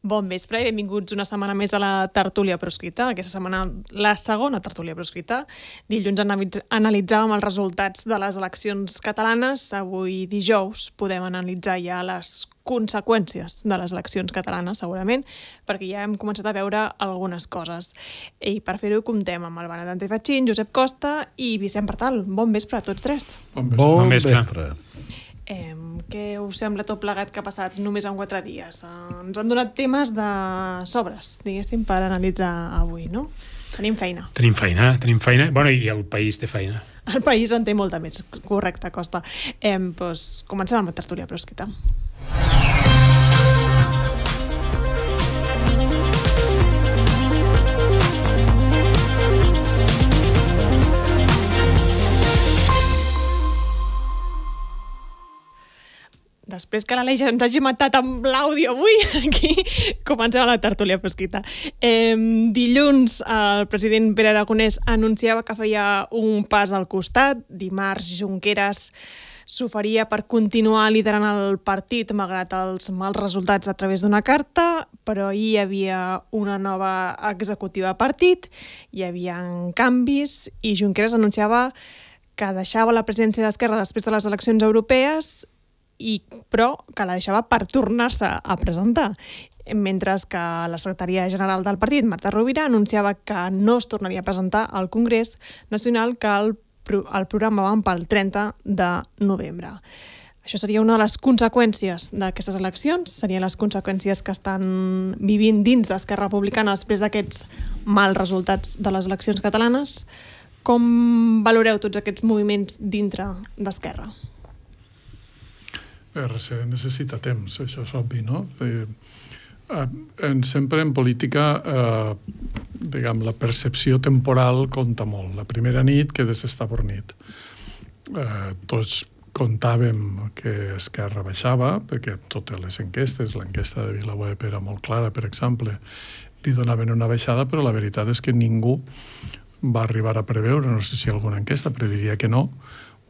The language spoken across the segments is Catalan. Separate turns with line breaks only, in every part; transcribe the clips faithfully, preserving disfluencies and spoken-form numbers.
Bon vespre i benvinguts una setmana més a la tertúlia proscrita. Aquesta setmana la segona tertúlia proscrita. Dilluns analitzàvem els resultats de les eleccions catalanes. Avui dijous podem analitzar ja les conseqüències de les eleccions catalanes, segurament, perquè ja hem començat a veure algunes coses. I per fer-ho comptem amb el Benet Fatxín, Josep Costa i Vicent Partal. Bon vespre a tots tres.
Bon vespre. Bon vespre.
Eh, què us sembla tot plegat que ha passat només en quatre dies? Eh, ens han donat temes de sobres, diguéssim, per analitzar avui, no? Tenim feina.
Tenim feina, tenim feina. Bueno, i el país té feina.
El país en té molta més, correcte, Costa. Eh, doncs comencem amb la tertúlia proscrita. Després que l'Aleix ens hagi matat amb l'àudio avui, aquí comencem la tertúlia proscrita. Eh, dilluns el president Pere Aragonès anunciava que feia un pas al costat. Dimarts Junqueras s'oferia per continuar liderant el partit malgrat els mals resultats a través d'una carta, però ahir hi havia una nova executiva partit, hi havia canvis i Junqueras anunciava que deixava la presidència d'Esquerra després de les eleccions europees, i, però que la deixava per tornar-se a presentar. Mentre que la secretària general del partit, Marta Rovira, anunciava que no es tornaria a presentar al Congrés Nacional, que el, el programaven pel trenta de novembre. Això seria una de les conseqüències d'aquestes eleccions, serien les conseqüències que estan vivint dins d'Esquerra Republicana després d'aquests mals resultats de les eleccions catalanes. Com valoreu tots aquests moviments dintre d'Esquerra?
R C necessita temps, això és obvi, no? Eh, eh, sempre en política, eh, diguem, la percepció temporal compta molt. La primera nit quedes estabornit. Eh, tots comptàvem que Esquerra baixava, perquè totes les enquestes, l'enquesta de VilaWeb era molt clara, per exemple, li donaven una baixada, però la veritat és que ningú va arribar a preveure, no sé si alguna enquesta prediria que no,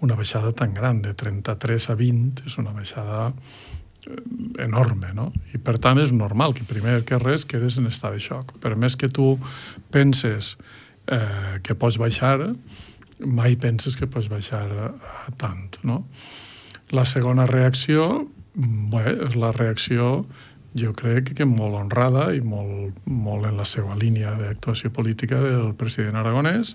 una baixada tan gran, de trenta-tres a vint, és una baixada enorme, no? I per tant és normal que primer que res quedes en estat de xoc. Per més que tu penses eh, que pots baixar, mai penses que pots baixar a, a tant, no? La segona reacció, bé, és la reacció, jo crec que molt honrada i molt, molt en la seva línia d'actuació política del president Aragonès,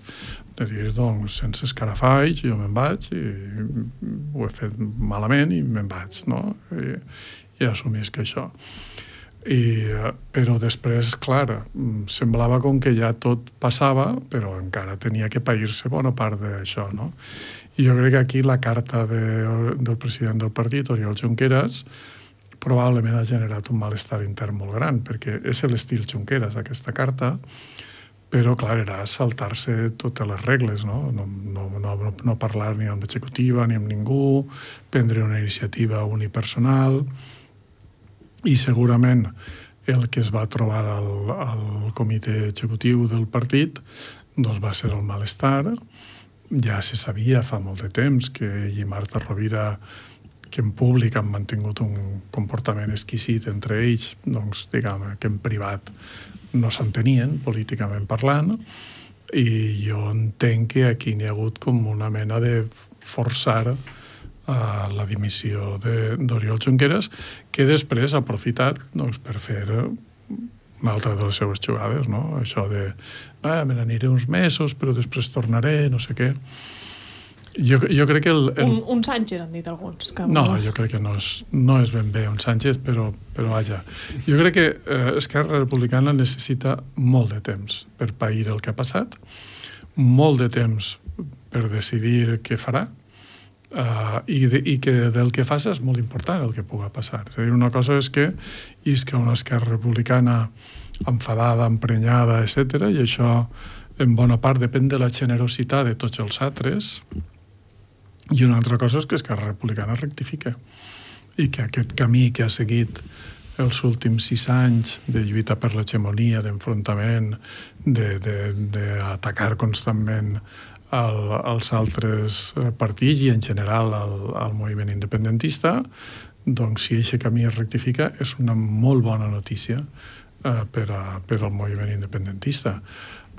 de dir, doncs, sense escarafalls, jo me'n vaig i ho he fet malament i me'n vaig, no? I, i assumisc això. I, però després, clar, semblava com que ja tot passava, però encara tenia que pair-se bona part d'això, no? I jo crec que aquí la carta de, del president del partit, Oriol Junqueras, probablement ha generat un malestar intern molt gran, perquè és l'estil Junqueras, aquesta carta, però, clar, era saltar-se totes les regles, no? No, no, no, no parlar ni amb l'executiva ni amb ningú, prendre una iniciativa unipersonal, i segurament el que es va trobar al, al comitè executiu del partit doncs va ser el malestar. Ja se sabia fa molt de temps que ell i Marta Rovira, que en públic han mantingut un comportament exquisit entre ells, doncs, diguem, que en privat no s'entenien, políticament parlant, i jo entenc que aquí n'hi ha hagut com una mena de forçar uh, la dimissió d'Oriol Junqueras, que després ha aprofitat doncs, per fer una altra de les seves jugades, no? Això de, ah, me n'aniré uns mesos, però després tornaré, no sé què. Jo, jo crec que... El, el...
Un, un Sánchez, han dit alguns. Que...
No, jo crec que no és, no és ben bé un Sánchez, però, però vaja. Jo crec que eh, Esquerra Republicana necessita molt de temps per pair el que ha passat, molt de temps per decidir què farà, eh, i, de, i que del que faci és molt important el que pugui passar. És a dir, una cosa és que isca una Esquerra Republicana enfadada, emprenyada, etcètera, i això en bona part depèn de la generositat de tots els altres. I una altra cosa és que Esquerra Republicana rectifica i que aquest camí que ha seguit els últims sis anys de lluita per l'hegemonia, d'enfrontament, d'atacar constantment el, els altres partits i en general el, el moviment independentista, doncs si aquest camí es rectifica és una molt bona notícia eh, per, a, per al moviment independentista.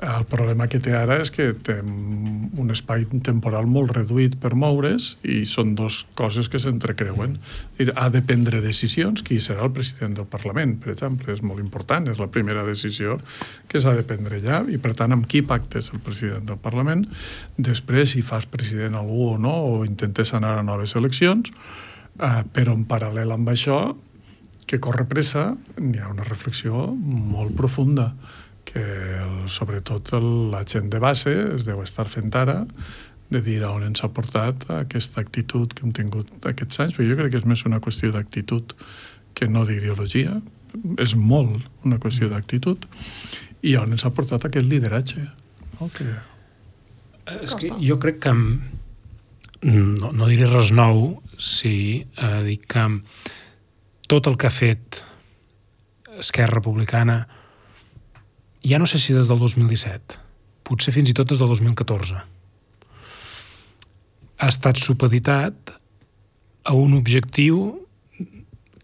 El problema que té ara és que té un espai temporal molt reduït per moure's i són dues coses que s'entrecreuen. Ha de prendre decisions. Qui serà el president del Parlament, per exemple, és molt important, és la primera decisió que s'ha de prendre allà i, per tant, amb qui pactes el president del Parlament. Després, si fas president algú o no, o intentes anar a noves eleccions, eh, però en paral·lel amb això, que corre pressa, n'hi ha una reflexió molt profunda que el, sobretot el, la gent de base es deu estar fent ara de dir on ens ha portat aquesta actitud que hem tingut aquests anys, perquè jo crec que és més una qüestió d'actitud que no d'ideologia, és molt una qüestió d'actitud, i on ens ha portat aquest lideratge. No? Que...
És que jo crec que no, no diré res nou si eh, dic que tot el que ha fet Esquerra Republicana, ja no sé si des del dos mil disset, potser fins i tot des del dos mil catorze, ha estat supeditat a un objectiu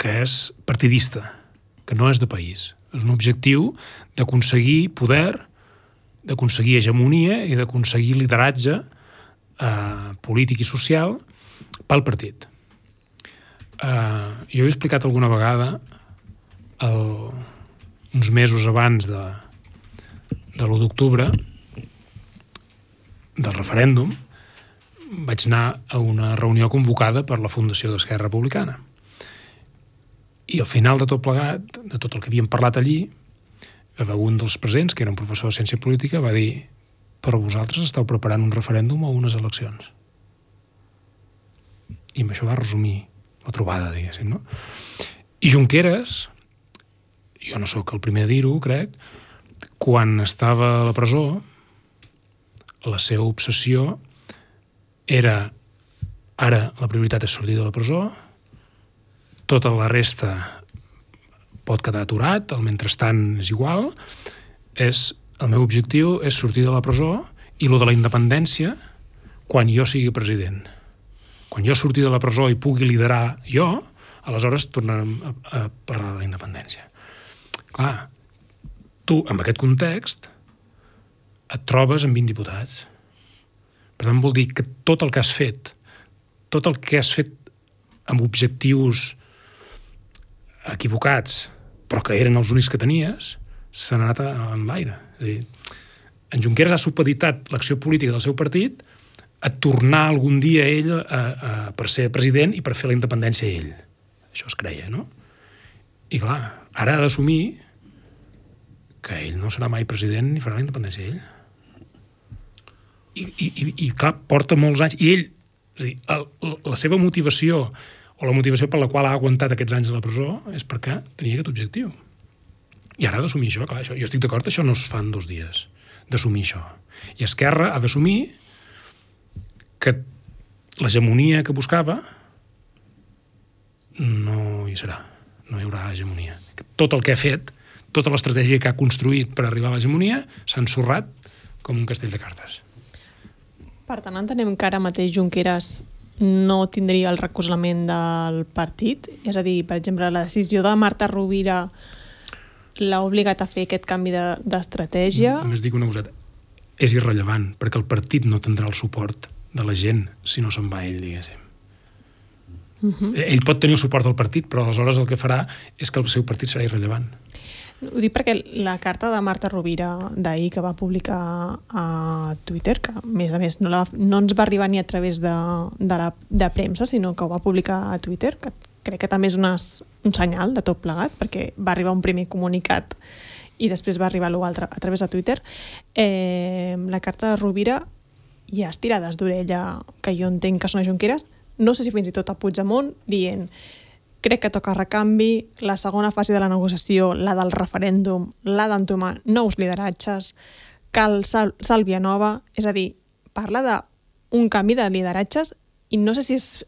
que és partidista, que no és de país. És un objectiu d'aconseguir poder, d'aconseguir hegemonia i d'aconseguir lideratge eh, polític i social pel partit. Eh, jo he explicat alguna vegada el, uns mesos abans de de l'u d'octubre, del referèndum, vaig anar a una reunió convocada per la Fundació d'Esquerra Republicana. I al final de tot plegat, de tot el que havíem parlat allí, un dels presents, que era un professor de ciència política, va dir: però vosaltres esteu preparant un referèndum o unes eleccions. I amb això va resumir la trobada, diguéssim, no? I Junqueras, jo no sóc el primer a dir-ho, crec, quan estava a la presó, la seva obsessió era: ara la prioritat és sortir de la presó, tota la resta pot quedar aturat, el mentrestant és igual, és, el meu objectiu és sortir de la presó, i lo de la independència, quan jo sigui president. Quan jo surti de la presó i pugui liderar jo, aleshores tornarem a, a parlar de la independència. Clar, tu, amb aquest context, et trobes amb vint diputats. Per tant, vol dir que tot el que has fet, tot el que has fet amb objectius equivocats, però que eren els únics que tenies, s'han anat en l'aire. És a dir, en Junqueras ha supeditat l'acció política del seu partit a tornar algun dia ell a, a, per ser president i per fer la independència ell. Això es creia, no? I clar, ara ha d'assumir que ell no serà mai president ni farà la independència ell. I, i, i, i clar, porta molts anys. I ell, és a dir, el, la seva motivació, o la motivació per la qual ha aguantat aquests anys a la presó, és perquè tenia aquest objectiu. I ara ha d'assumir això. Clar, això, jo estic d'acord, això no es fa en dos dies, d'assumir això. I Esquerra ha d'assumir que l'hegemonia que buscava no hi serà. No hi haurà hegemonia. Tot el que ha fet, tota l'estratègia que ha construït per arribar a l'hegemonia s'ha ensorrat com un castell de cartes.
Per tant, entenem que ara mateix Junqueras no tindria el recolzament del partit? És a dir, per exemple, la decisió de Marta Rovira l'ha obligat a fer aquest canvi d'estratègia?
Només dic una coseta. És irrellevant, perquè el partit no tindrà el suport de la gent si no se'n va ell, diguéssim. Uh-huh. Ell pot tenir el suport del partit, però aleshores el que farà és que el seu partit serà irrellevant.
Ho dic perquè la carta de Marta Rovira d'ahir que va publicar a Twitter, que a més a més no, la, no ens va arribar ni a través de, de, la, de premsa, sinó que ho va publicar a Twitter, que crec que també és una, un senyal de tot plegat, perquè va arribar un primer comunicat i després va arribar l'altre a través de Twitter. Eh, la carta de Rovira hi ha estirades d'orella que jo entenc que són a Junqueras, no sé si fins i tot a Puigdemont, dient: crec que toca recanvi, la segona fase de la negociació, la del referèndum, la d'entomar nous lideratges, cal sal sàlvia nova, és a dir, parla d'un canvi de lideratges i no sé si és,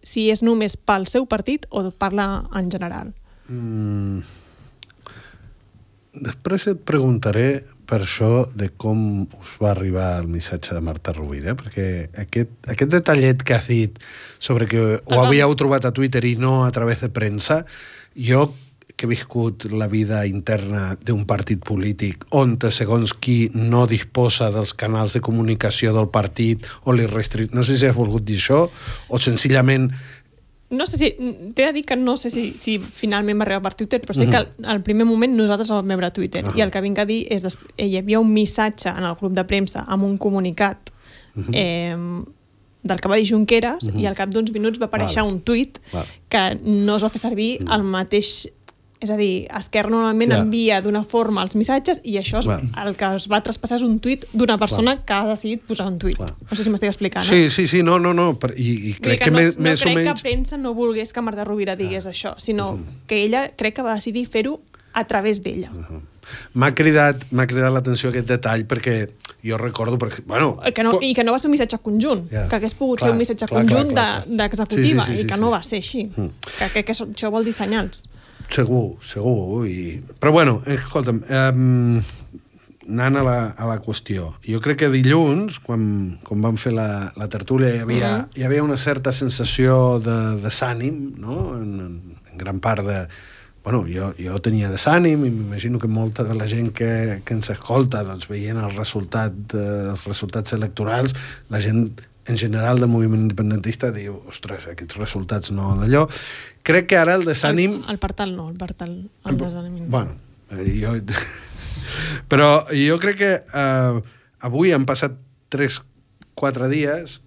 si és només pel seu partit o parla en general.
Mm. Després et preguntaré per això de com us va arribar el missatge de Marta Rovira, perquè aquest, aquest detallet que has dit sobre que ho havíeu trobat a Twitter i no a través de premsa, jo que he viscut la vida interna d'un partit polític on, segons qui, no disposa dels canals de comunicació del partit o li restri... No sé si has volgut dir això o senzillament...
No sé si... T'he de dir que no sé si, si finalment va arribar per Twitter, però sé que al, al primer moment nosaltres el vam veure a Twitter. Uh-huh. I el que vinc a dir és... Des... Hi havia un missatge en el grup de premsa amb un comunicat uh-huh. eh, del que va dir Junqueras uh-huh. i al cap d'uns minuts va aparèixer vale. un tuit vale. que no es va fer servir uh-huh. el mateix... És a dir, Esquerra normalment ja. envia d'una forma els missatges i això és, el que es va traspassar és un tuit d'una persona Clar. que ha decidit posar un tuit. Clar. No sé si m'estic explicant.
Sí, eh? sí, sí, no, no, no. I, i crec que, que
no,
més,
no
més
crec
o menys...
que premsa no volgués que Marta Rovira digués uh-huh. això, sinó uh-huh. que ella crec que va decidir fer-ho a través d'ella.
Uh-huh. M'ha cridat, m'ha cridat l'atenció aquest detall perquè jo recordo... Perquè, bueno,
que no, I que no va ser un missatge conjunt, yeah. que hagués pogut clar, ser un missatge clar, conjunt clar, clar, clar. d'executiva sí, sí, sí, i que sí, no sí. va ser així. Uh-huh. Que crec que això vol dir senyals.
Segur, segur. I... Però bueno, escolta'm, um, anant a la, a la qüestió. Jo crec que dilluns, quan, quan vam fer la, la tertúlia, hi havia, uh -huh. hi havia una certa sensació de desànim, no? En, en gran part de... Bueno, jo, jo tenia desànim i m'imagino que molta de la gent que, que ens escolta, doncs, veient el resultat, eh, els resultats electorals, la gent en general del moviment independentista diu, ostres, aquests resultats no d'allò. Crec que ara el desànim...
El, el Partal no, el Partal... El desànim.
Bueno, jo... Però jo crec que eh, avui han passat tres, quatre dies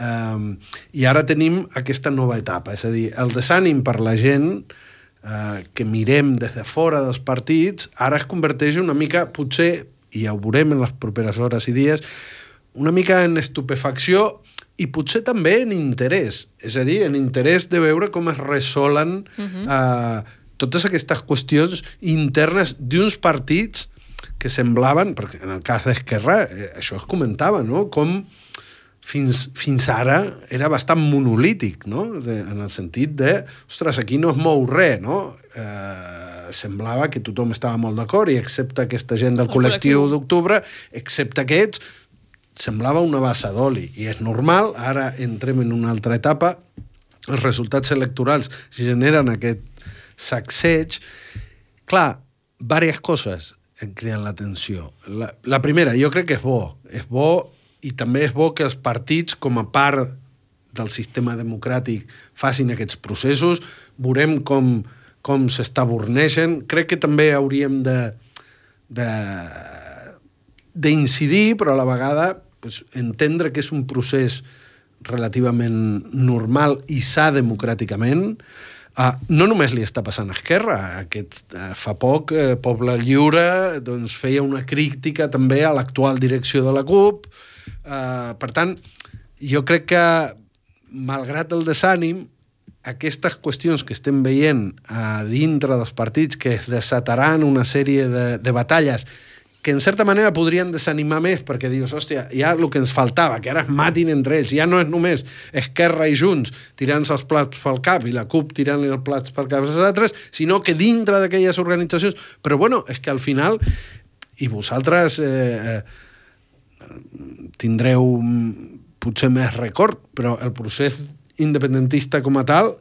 eh, i ara tenim aquesta nova etapa. És a dir, el desànim per la gent eh, que mirem des de fora dels partits ara es converteix una mica, potser, i ja ho veurem en les properes hores i dies, una mica en estupefacció i potser també en interès. És a dir, en interès de veure com es resolen uh-huh. eh, totes aquestes qüestions internes d'uns partits que semblaven, perquè en el cas d'Esquerra, eh, això es comentava, no? Com fins, fins ara era bastant monolític, no? De, en el sentit de, ostres, aquí no es mou res, no? Eh, semblava que tothom estava molt d'acord i excepte aquesta gent del col·lectiu d'octubre, excepte aquests, semblava una bassa d'oli. I és normal, ara entrem en una altra etapa, els resultats electorals generen aquest sacseig. Clar, diverses coses em criden l'atenció. La, la primera, jo crec que és bo. És bo i també és bo que els partits, com a part del sistema democràtic, facin aquests processos. Veurem com, com s'estaborneixen. Crec que també hauríem de, de, d'incidir, però a la vegada pues, entendre que és un procés relativament normal i sa democràticament. Uh, no només li està passant a Esquerra. Aquest, uh, fa poc, uh, Poble Lliure doncs, feia una crítica també a l'actual direcció de la CUP. Uh, per tant, jo crec que, malgrat el desànim, aquestes qüestions que estem veient a dintre dels partits que es desataran una sèrie de, de batalles que en certa manera podrien desanimar més perquè dius, hòstia, ja el que ens faltava, que ara es matin entre ells, ja no és només Esquerra i Junts tirant-se els plats pel cap i la CUP tirant-li els plats pel cap als altres, sinó que dintre d'aquelles organitzacions... Però bueno, és que al final, i vosaltres eh, tindreu potser més record, però el procés independentista com a tal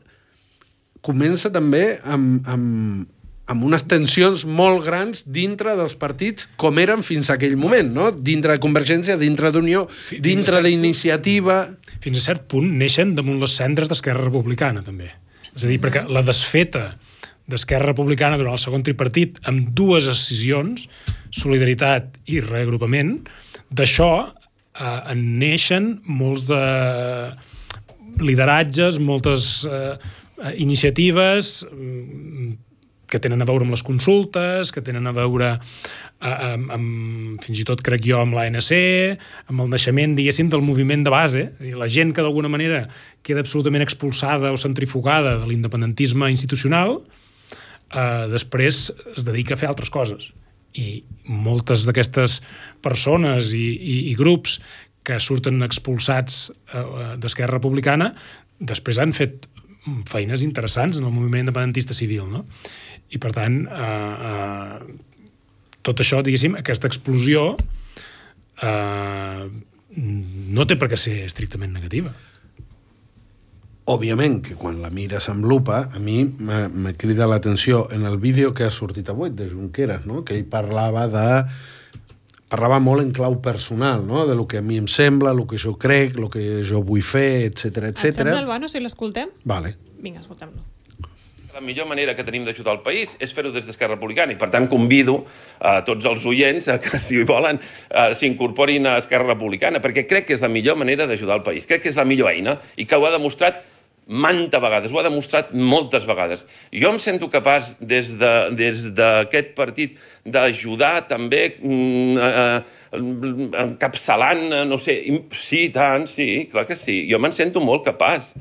comença també amb... amb amb unes tensions molt grans dintre dels partits com eren fins a aquell moment, no? Dintre de Convergència, dintre d'Unió, dintre d'Iniciativa...
Fins a cert punt neixen damunt les cendres d'Esquerra Republicana, també. És a dir, perquè la desfeta d'Esquerra Republicana durant el segon tripartit amb dues decisions, solidaritat i reagrupament, d'això eh, en neixen molts de lideratges, moltes eh, iniciatives... que tenen a veure amb les consultes, que tenen a veure amb, amb, fins i tot, crec jo, amb l'A N C, amb el naixement, diguéssim, del moviment de base. La gent que d'alguna manera queda absolutament expulsada o centrifugada de l'independentisme institucional, eh, després es dedica a fer altres coses. I moltes d'aquestes persones i, i, i grups que surten expulsats eh, d'Esquerra Republicana després han fet feines interessants en el moviment independentista civil, no? I, per tant, eh, eh, tot això, diguéssim, aquesta explosió eh, no té per què ser estrictament negativa.
Òbviament que quan la mires amb lupa, a mi me crida l'atenció en el vídeo que ha sortit avui de Junqueras, no? Que ell parlava de... parlava molt en clau personal, no? De lo que a mi em sembla, el que jo crec, el que jo vull fer, etcètera, etcètera.
Et sembla, Albano, si l'escoltem?
Vale.
Vinga, escoltem-lo.
La millor manera que tenim d'ajudar el país és fer-ho des d'Esquerra Republicana i, per tant, convido a tots els oients a que, si volen, s'incorporin a Esquerra Republicana, perquè crec que és la millor manera d'ajudar el país. Crec que és la millor eina i que ho ha demostrat manta vegades, ho ha demostrat moltes vegades. Jo em sento capaç, des de, des d'aquest partit, d'ajudar també eh, encapçalant, no sé, sí, tant, sí, clar que sí. Jo me'n sento molt capaç.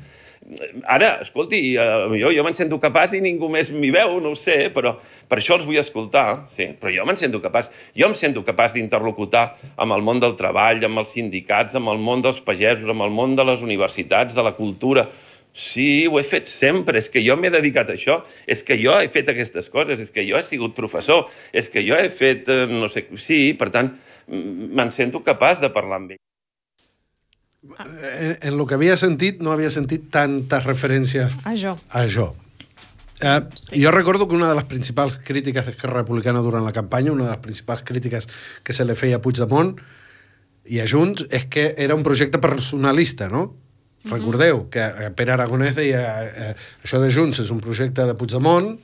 Ara, escolti, jo, jo me'n sento capaç i ningú més m'hi veu, no ho sé, però per això els vull escoltar, sí, però jo me'n sento capaç. Jo em sento capaç d'interlocutar amb el món del treball, amb els sindicats, amb el món dels pagesos, amb el món de les universitats, de la cultura. Sí, ho he fet sempre, és que jo m'he dedicat a això, és que jo he fet aquestes coses, és que jo he sigut professor, és que jo he fet, no sé, sí, per tant, me'n sento capaç de parlar amb ell.
En, en lo que havia sentit, no havia sentit tantes referències
a jo.
A jo. Eh, sí. Jo recordo que una de les principals crítiques d'Esquerra Republicana durant la campanya, una de les principals crítiques que se li feia a Puigdemont i a Junts, és que era un projecte personalista, no? Mm-hmm. Recordeu que Pere Aragonès deia eh, això de Junts és un projecte de Puigdemont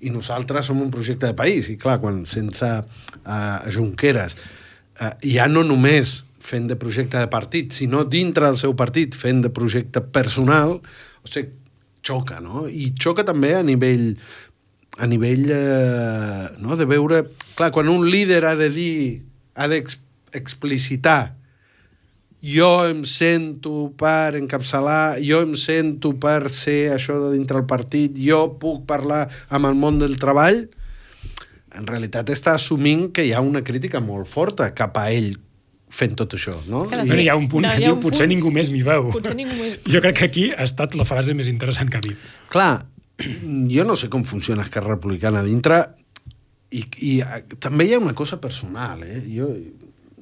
i nosaltres som un projecte de país. I clar, quan sense eh, Junqueras eh, ja no només fent de projecte de partit, sinó dintre del seu partit fent de projecte personal, o sigui, xoca, no? I xoca també a nivell a nivell eh, no? De veure... Clar, quan un líder ha de dir, ha d'explicitar jo em sento per encapçalar, jo em sento per ser això de dintre del partit, jo puc parlar amb el món del treball, en realitat està assumint que hi ha una crítica molt forta cap a ell fent tot això, no?
I... Hi ha un punt que diu, potser punt... ningú més m'hi veu.
Ningú més...
Jo crec que aquí ha estat la frase més interessant que ha dit.
Clar, jo no sé com funciona Esquerra Republicana dintre i, i també hi ha una cosa personal, eh? Jo,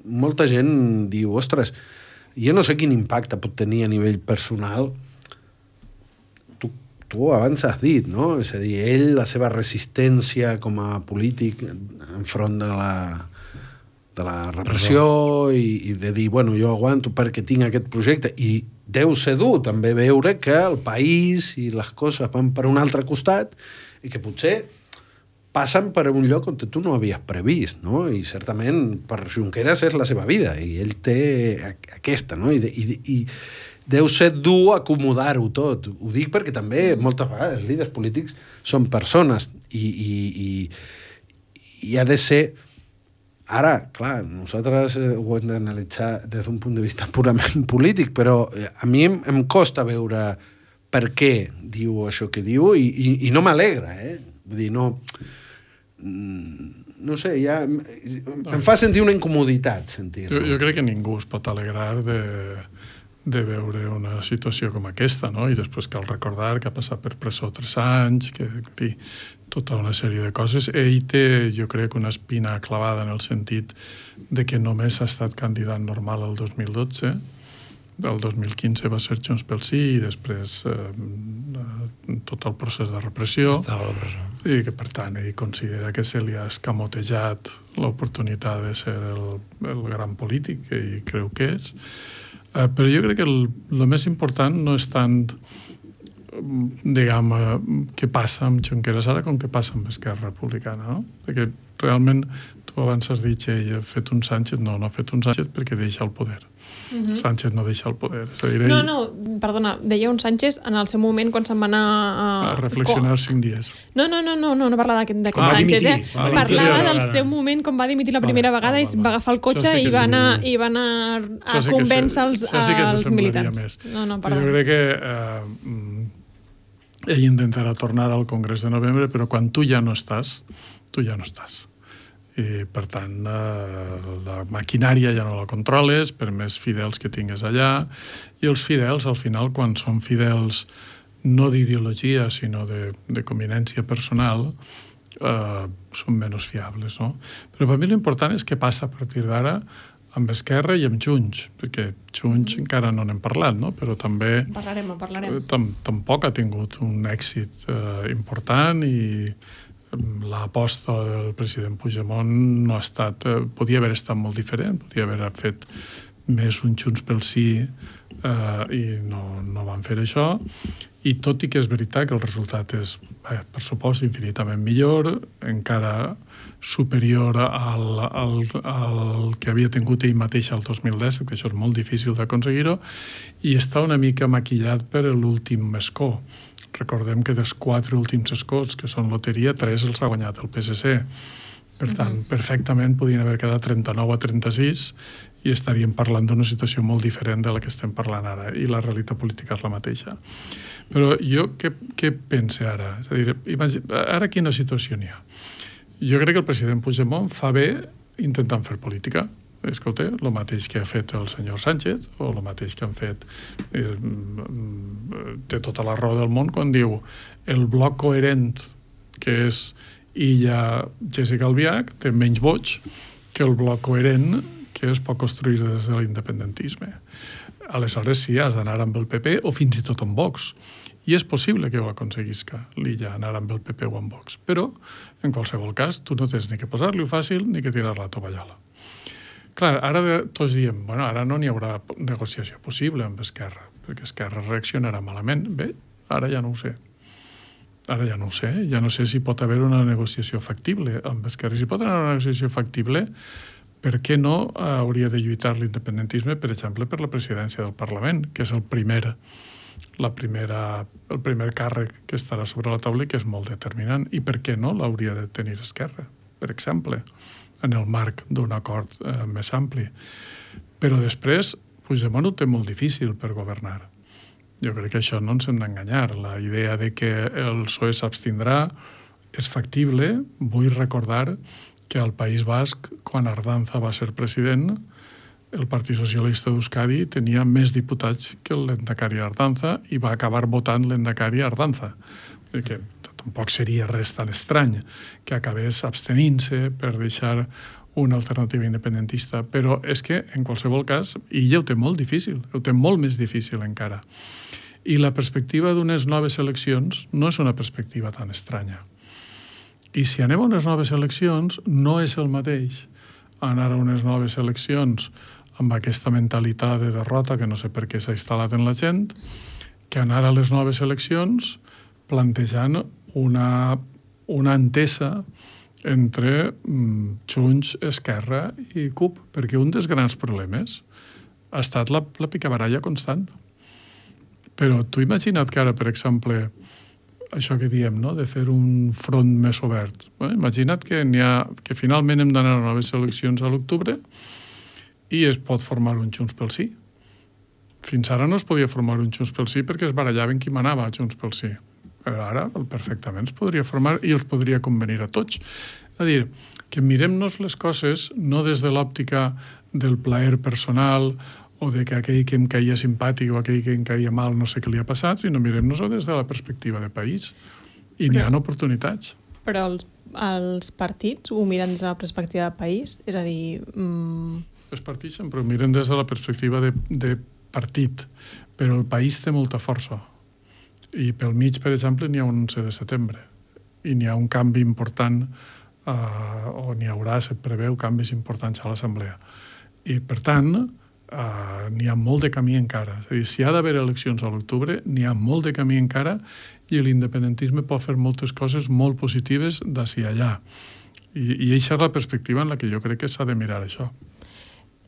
molta gent diu, ostres, jo no sé quin impacte pot tenir a nivell personal. Tu, tu abans has dit, no? És a dir, ell, la seva resistència com a polític enfront de la... de la repressió i, i de dir, bueno, jo aguanto perquè tinc aquest projecte, i deu ser dur també veure que el país i les coses van per un altre costat i que potser passen per un lloc on tu no havies previst, no? I certament per Junqueras és la seva vida i ell té aquesta, no? I, i, i deu ser dur acomodar-ho tot. Ho dic perquè també moltes vegades líders polítics són persones i, i, i, i ha de ser... Ara, clar, nosaltres ho hem d'analitzar des d'un punt de vista purament polític, però a mi em, em costa veure per què diu això que diu i, i, i no m'alegra, eh? Vull dir, no... No sé, ja... Em fa sentir una incomoditat, sentir.
Jo, jo crec que ningú es pot alegrar de, de veure una situació com aquesta, no? I després cal recordar que ha passat per presó tres anys, que, en fi, tota una sèrie de coses. Ell té, jo crec, una espina clavada en el sentit de que només ha estat candidat normal el dos mil dotze, el dos mil quinze va ser Junts pel Sí i després eh, tot el procés de repressió.
Estava a la presó.
I que, per tant, ell considera que se li ha escamotejat l'oportunitat de ser el, el gran polític que ell creu que és. Eh, però jo crec que el, el més important no és tant diguem, què passa amb Junqueras ara com què passa amb Esquerra Republicana, no? Perquè realment tu abans has dit que ell ha fet un Sánchez, no, no ha fet un Sánchez perquè deixa el poder. Uh-huh. Sánchez no deixa el poder. És a dir, ell...
No, no, perdona, deia un Sánchez en el seu moment quan se'n va anar a...
a reflexionar Co... cinc dies.
No, no, no, no, no, no parlava d'aquest ah, Sánchez, eh? Ah, parlava del seu moment com va dimitir la primera ah, vegada ah, i va agafar el cotxe sí i, va anar, i va anar a sí convèncer els, sí els militants. Més. No, no, perdona.
Jo crec que eh, ell intentarà tornar al Congrés de novembre, però quan tu ja no estàs, tu ja no estàs. I, per tant, eh, la maquinària ja no la controles, per més fidels que tingues allà, i els fidels, al final, quan són fidels no d'ideologia, sinó de, de conveniència personal, eh, són menys fiables, no? Però per mi l'important és què passa a partir d'ara amb Esquerra i amb Junts, perquè Junts mm. encara no n'hem parlat, no? Però també
parlarem, parlarem.
Tam, tampoc ha tingut un èxit eh, important i l'aposta del president Puigdemont no ha estat, eh, podia haver estat molt diferent, podia haver fet més un Junts pel Sí eh, i no, no van fer això, i tot i que és veritat que el resultat és, eh, per supost, infinitament millor, encara superior al, al, al que havia tingut ell mateix el dos mil disset, que això és molt difícil d'aconseguir-ho, i està una mica maquillat per l'últim escó. Recordem que dels quatre últims escons, que són loteria, tres els ha guanyat el P S C. Per tant, uh-huh. perfectament podien haver quedat trenta-nou a trenta-sis i estaríem parlant d'una situació molt diferent de la que estem parlant ara, i la realitat política és la mateixa. Però jo què, què pense ara? És a dir, imagina, ara quina situació n'hi ha? Jo crec que el president Puigdemont fa bé intentant fer política. Escolta, el mateix que ha fet el senyor Sánchez, o el mateix que han fet, eh, té tota la raó del món quan diu el bloc coherent, que és Illa, Jessica Albiach, té menys vots que el bloc coherent que es pot construir des de l'independentisme. Aleshores sí, has d'anar amb el P P o fins i tot amb Vox. I és possible que ho aconseguisca l'Illa, anar amb el P P o amb Vox. Però, en qualsevol cas, tu no tens ni que posar-li-ho fàcil ni que tirar la tovallola. Clar, ara tots diem, bueno, ara no n'hi haurà negociació possible amb Esquerra, perquè Esquerra reaccionarà malament. Bé, ara ja no ho sé. Ara ja no ho sé. Ja no sé si pot haver una negociació factible amb Esquerra. Si pot haver una negociació factible, per què no hauria de lluitar l'independentisme, per exemple, per la presidència del Parlament, que és el primer, la primera, el primer càrrec que estarà sobre la taula i que és molt determinant. I per què no l'hauria de tenir Esquerra, per exemple, en el marc d'un acord eh, més ampli. Però després, Puigdemont ho té molt difícil per governar. Jo crec que això no ens hem d'enganyar. La idea de que el P S O E s'abstindrà és factible. Vull recordar que al País Basc, quan Ardanza va ser president, el Partit Socialista d'Euskadi tenia més diputats que el Lehendakari Ardanza i va acabar votant l'Lehendakari Ardanza. Que tampoc seria res tan estrany que acabés abstenint-se per deixar una alternativa independentista, però és que, en qualsevol cas, ella ho té molt difícil, ho té molt més difícil encara. I la perspectiva d'unes noves eleccions no és una perspectiva tan estranya. I si anem a unes noves eleccions, no és el mateix anar a unes noves eleccions amb aquesta mentalitat de derrota que no sé per què s'ha instal·lat en la gent, que anar a les noves eleccions plantejant una, una entesa entre mm, Junts, Esquerra i C U P, perquè un dels grans problemes ha estat la, la picabaralla constant. Però tu imagina't que ara, per exemple, això que diem, no?, de fer un front més obert. Bueno, imagina't que, n'hi ha, que finalment hem d'anar a noves eleccions a l'octubre i es pot formar un Junts pel Sí. Fins ara no es podia formar un Junts pel Sí perquè es barallaven qui manava a Junts pel Sí. Però ara perfectament es podria formar i els podria convenir a tots. És a dir, que mirem-nos les coses no des de l'òptica del plaer personal o de que aquell que em caia simpàtic o aquell que em caia mal no sé què li ha passat, sinó mirem-nos-ho des de la perspectiva de país. I n'hi ha oportunitats.
Però els, els partits ho miren des de la perspectiva de país? És a dir... Mm...
Els partits sempre ho miren des de la perspectiva de, de partit, però el país té molta força. I pel mig, per exemple, n'hi ha un onze de setembre i n'hi ha un canvi important eh, o n'hi haurà, se preveu canvis importants a l'Assemblea. I, per tant, eh, n'hi ha molt de camí encara. És a dir, si hi ha d'haver eleccions a l'octubre, n'hi ha molt de camí encara i l'independentisme pot fer moltes coses molt positives d'ací allà. I, i aquesta és la perspectiva en la que jo crec que s'ha de mirar això.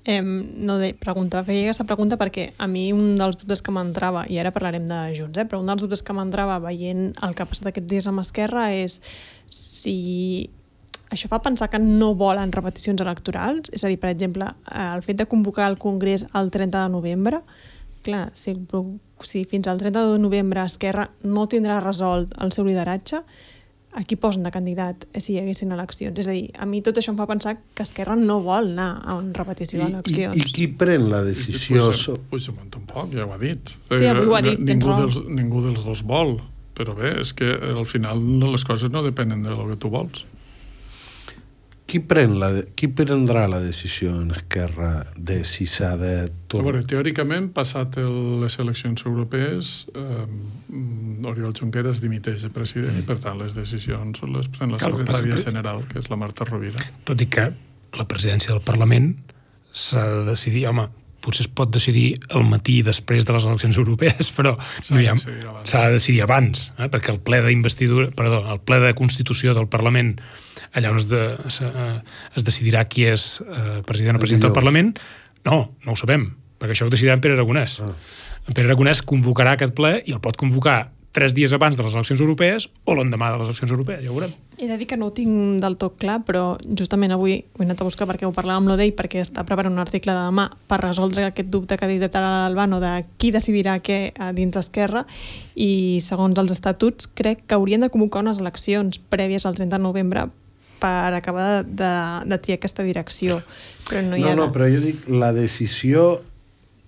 Eh, no de preguntar, feia aquesta pregunta perquè a mi un dels dubtes que m'entrava, i ara parlarem de Junts, eh, però un dels dubtes que m'entrava veient el que ha passat aquests dies amb Esquerra és si això fa pensar que no volen repeticions electorals, és a dir, per exemple, el fet de convocar el Congrés el trenta de novembre, clar, si, si fins al trenta de novembre Esquerra no tindrà resolt el seu lideratge, a qui posen de candidat si hi haguessin eleccions? És a dir, a mi tot això em fa pensar que Esquerra no vol anar a una repetició d'eleccions.
I, i, I qui pren la decisió?
Puigdemont tampoc, ja ho ha dit.
Sí, avui ho ha dit,
ningú dels, ningú dels dos vol, però bé, és que al final les coses no depenen de lo que tu vols.
Qui, pren la, qui prendrà la decisió en Esquerra de si s'ha de...
A veure, teòricament, passat el, les eleccions europees, eh, Oriol Junqueras dimiteix de president mm. i, per tant, les decisions les pren la secretària general, que és la Marta Rovira.
Tot i que la presidència del Parlament s'ha de decidir, home, potser es pot decidir el matí després de les eleccions europees, però no hi ha, s'ha de decidir abans, eh? perquè el ple d'investidura, perdó, el ple de constitució del Parlament, allà on es, de, es, es decidirà qui és eh, president o president del Parlament, no, no ho sabem, perquè això ho decidirà en Pere Aragonès. Ah. En Pere Aragonès convocarà aquest ple i el pot convocar tres dies abans de les eleccions europees o l'endemà de les eleccions europees, ja ho veurem.
He de dir que no ho tinc del tot clar, però justament avui ho he anat a buscar perquè ho parlàvem amb l'Odei, perquè està preparant un article de demà per resoldre aquest dubte que ha dit de Tara Albano de qui decidirà què dins d'Esquerra, i segons els estatuts crec que haurien de convocar unes eleccions prèvies al trenta de novembre per acabar de, de, de triar aquesta direcció. Però no, hi ha
no, no,
de...
però jo dic la decisió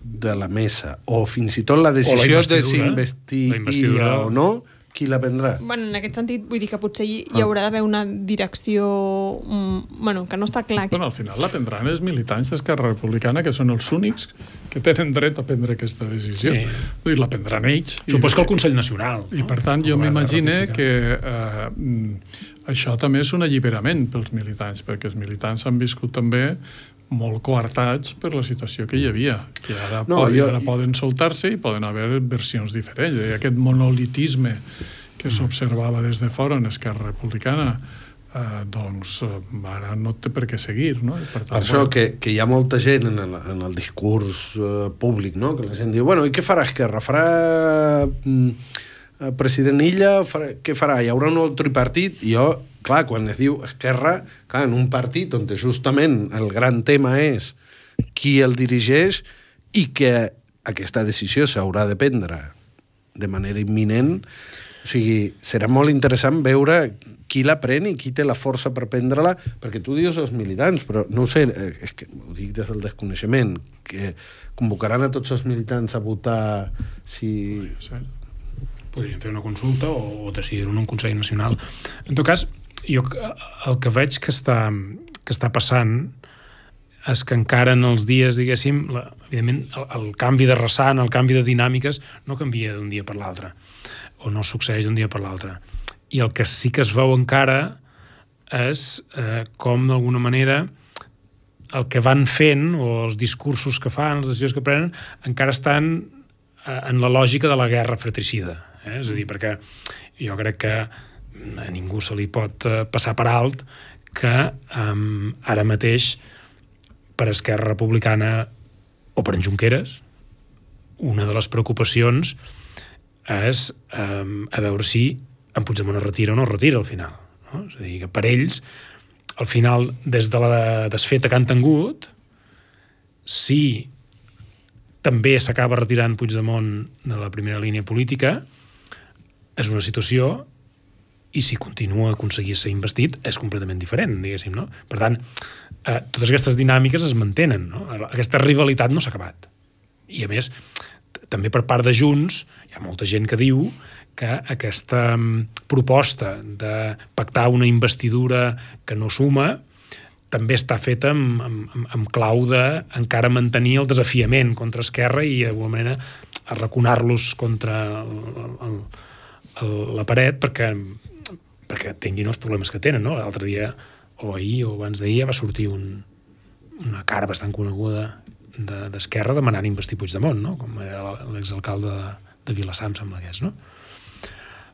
de la mesa, o fins i tot la decisió
la
de si investigar o no, qui la prendrà?
Bueno, en aquest sentit, vull dir que potser hi, hi haurà d'haver una direcció um, bueno, que no està clar.
Bueno, al final la prendran els militants d'Esquerra Republicana, que són els únics que tenen dret a prendre aquesta decisió. Sí. Vull dir, la prendran ells.
Supos que el Consell Nacional.
I, no? per tant, jo m'imagine que eh, això també és un alliberament pels militants, perquè els militants han viscut també molt coartats per la situació que hi havia, que ara, no, poden, jo... ara poden soltar-se i poden haver versions diferents. I aquest monolitisme que s'observava des de fora en Esquerra Republicana, eh, doncs ara no té per què seguir, no? I per tant,
per això
bueno...
que, que hi ha molta gent en el, en el discurs eh, públic, no? Que la gent diu, bueno, i què farà Esquerra? Farà mm, president Illa? Farà, què farà? Hi haurà un nou tripartit? I jo... Clar, quan es diu Esquerra, clar, en un partit on justament el gran tema és qui el dirigeix i que aquesta decisió s'haurà de prendre de manera imminent. O sigui, serà molt interessant veure qui la pren i qui té la força per prendre-la, perquè tu dius els militants, però no ho sé, és que ho dic des del desconeixement, que convocaran a tots els militants a votar si...
Podríem fer una consulta o decidir en un Consell Nacional. En tot cas, jo el que veig que està, que està passant és que encara en els dies, diguéssim, la, evidentment, el, el canvi de ressant, el canvi de dinàmiques, no canvia d'un dia per l'altre, o no succeeix d'un dia per l'altre. I el que sí que es veu encara és eh, com, d'alguna manera, el que van fent, o els discursos que fan, les decisions que prenen, encara estan eh, en la lògica de la guerra fratricida. Eh? És a dir, perquè jo crec que a ningú se li pot uh, passar per alt que um, ara mateix per Esquerra Republicana o per en Junqueras una de les preocupacions és um, a veure si en Puigdemont es retira o no es retira al final, no? És a dir, que per ells al final, des de la desfeta que han tingut, si també s'acaba retirant Puigdemont de la primera línia política, és una situació, i si continua a aconseguir ser investit és completament diferent, diguéssim, no? Per tant, eh, totes aquestes dinàmiques es mantenen, no? Aquesta rivalitat no s'ha acabat. I a més, també per part de Junts hi ha molta gent que diu que aquesta proposta de pactar una investidura que no suma també està feta amb, amb, amb clau de encara mantenir el desafiament contra Esquerra i d'alguna manera arraconar-los contra el, el, el, la paret perquè perquè tinguin els problemes que tenen, no? L'altre dia, o ahir, o abans d'ahir, va sortir un, una cara bastant coneguda de, d'Esquerra demanant investir Puigdemont, no? Com era l'exalcalde de, de Vilassar, em sembla que és, no?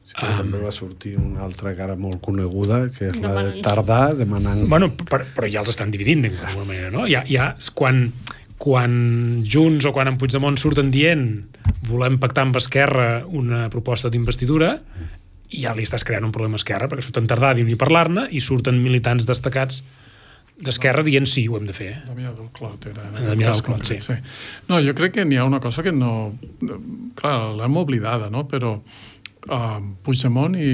Sí, però um, també va sortir una altra cara molt coneguda, que és la de Tardà, demanant...
Bueno, però, però ja els estan dividint, d'alguna manera, no? Ja, ja, quan, quan Junts o quan en Puigdemont surten dient volem pactar amb Esquerra una proposta d'investidura, i ja li estàs creant un problema a Esquerra, perquè surten Tardà ni parlar-ne i surten militants destacats d'Esquerra dient sí, ho hem de fer. Eh?
Damià del Clot era.
Damià del Clot, sí.
sí. No, jo crec que n'hi ha una cosa que no... Clar, l'hem oblidada, no? Però uh, Puigdemont i,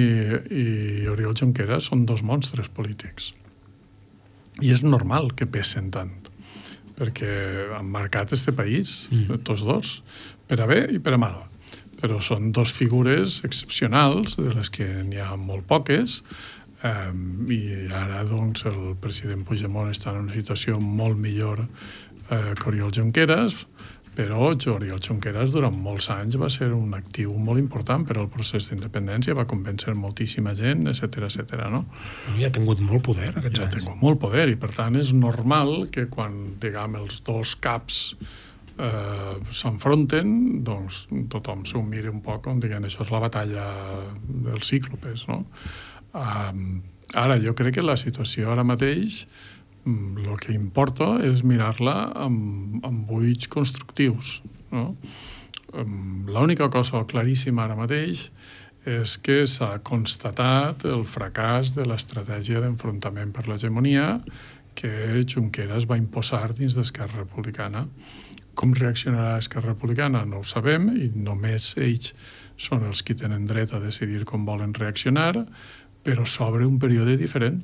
i Oriol Junqueras són dos monstres polítics. I és normal que pesen tant, perquè han marcat este país, mm. tots dos, per a bé i per a mal. però són dos figures excepcionals, de les que n'hi ha molt poques, eh, i ara doncs, el president Puigdemont està en una situació molt millor eh, que Oriol Junqueras, però Oriol Junqueras durant molts anys va ser un actiu molt important per al procés d'independència, va convèncer moltíssima gent, etcètera, etcètera, no?
Ja ha tingut molt poder aquests
Ja ha
anys.
tingut molt poder i per tant és normal que quan, diguem, els dos caps eh, s'enfronten, doncs tothom s'ho miri un poc com diguem, això és la batalla dels cíclopes, no? Um, ara, jo crec que la situació ara mateix el que importa és mirar-la amb, amb ulls constructius, no? L'única cosa claríssima ara mateix és que s'ha constatat el fracàs de l'estratègia d'enfrontament per l'hegemonia que Junqueras va imposar dins d'Esquerra Republicana. Com reaccionarà Esquerra Republicana no ho sabem i només ells són els qui tenen dret a decidir com volen reaccionar, però s'obre un període diferent.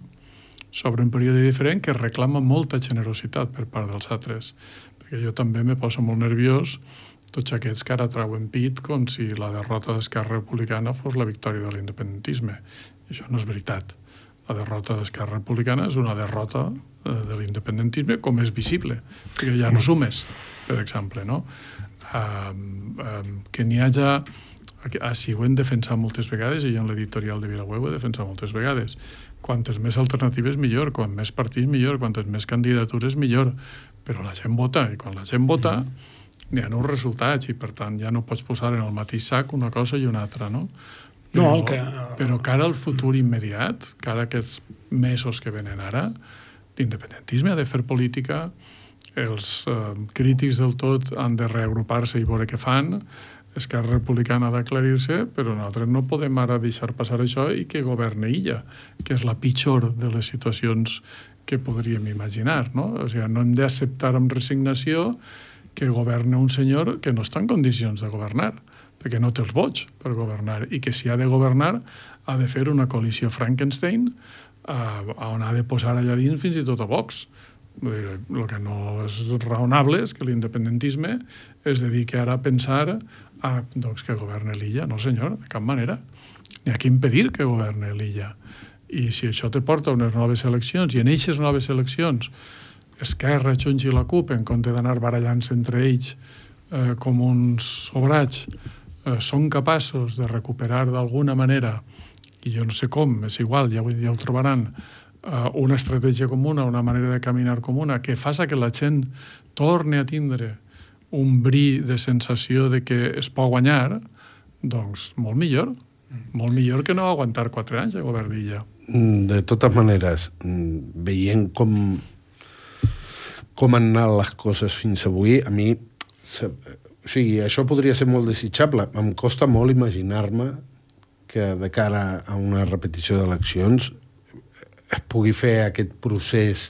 Sobre un període diferent que reclama molta generositat per part dels altres. Perquè jo també me poso molt nerviós tots aquests que ara trauen pit com si la derrota d'Esquerra Republicana fos la victòria de l'independentisme. I això no és veritat. La derrota d'Esquerra Republicana és una derrota eh, de l'independentisme com és visible, perquè ja no sumes, per exemple, no? Um, um, que n'hi hagi... Així ho hem defensat moltes vegades i jo en l'editorial de Vilaweb ho he defensat moltes vegades. Quantes més alternatives millor, quan més partits millor, quantes més candidatures millor, però la gent vota i quan la gent vota n'hi ha uns resultats i per tant ja no pots posar en el mateix sac una cosa i una altra, no? Però,
No, el que...
però cara al futur immediat, cara a aquests mesos que venen ara, l'independentisme ha de fer política, els eh, crítics del tot han de reagrupar-se i veure què fan, Esquerra Republicana ha d'aclarir-se, però nosaltres no podem ara deixar passar això i que governe ella, que és la pitjor de les situacions que podríem imaginar, no? O sigui, no hem d'acceptar amb resignació que governe un senyor que no està en condicions de governar, perquè no té els vots per governar, i que si ha de governar ha de fer una coalició Frankenstein eh, on ha de posar allà dins fins i tot a Vox. El que no és raonable és que l'independentisme es dediqui ara a pensar a, doncs, que governe l'illa. No, senyor, de cap manera. N'hi ha que impedir que governe l'illa. I si això te porta a unes noves eleccions, i en aquestes noves eleccions Esquerra, Junts i la CUP, en compte d'anar barallant-se entre ells eh, com uns sobrats, eh, són capaços de recuperar d'alguna manera, i jo no sé com, és igual, ja ho, ja ho trobaran, una estratègia comuna, una manera de caminar comuna, que faça que la gent torni a tindre un bri de sensació de que es pot guanyar, doncs molt millor. Molt millor que no aguantar quatre anys de govern d'illa.
De totes maneres, veient com, com han anat les coses fins avui, a mi... O sigui, això podria ser molt desitjable. Em costa molt imaginar-me que de cara a una repetició d'eleccions es pugui fer aquest procés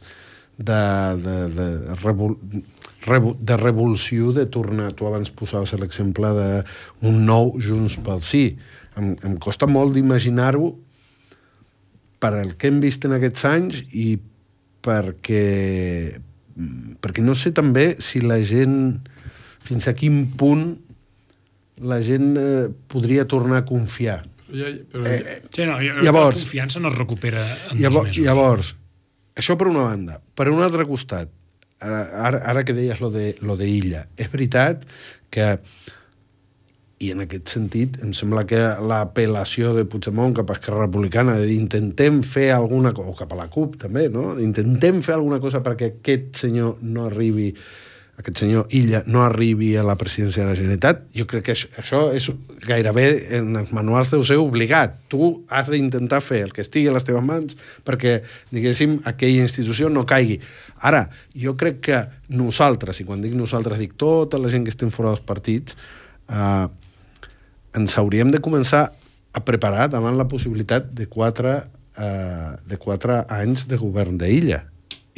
de, de, de, revol, revo, de revolució, de tornar... Tu abans posaves l'exemple d'un nou Junts pel Sí. Em, em costa molt d'imaginar-ho per el que hem vist en aquests anys i perquè, perquè no sé també si la gent... Fins a quin punt la gent eh, podria tornar a confiar.
Ja, però...
Eh, sí, no,
llavors,
la confiança no es recupera en
llavors,
dos mesos.
Llavors, això per una banda. Per un altre costat, ara, ara que deies lo de, lo de Illa, és veritat que, i en aquest sentit, em sembla que l'apel·lació de Puigdemont cap a Esquerra Republicana, de dir, intentem fer alguna cosa, o cap a la CUP també, no? Intentem fer alguna cosa perquè aquest senyor no arribi... aquest senyor Illa no arribi a la presidència de la Generalitat, jo crec que això, això és gairebé en els manuals deu ser obligat. Tu has d'intentar fer el que estigui a les teves mans perquè, diguéssim, aquella institució no caigui. Ara, jo crec que nosaltres, i quan dic nosaltres dic tota la gent que estem fora dels partits, eh, ens hauríem de començar a preparar davant la possibilitat de quatre, eh, de quatre anys de govern d'illa.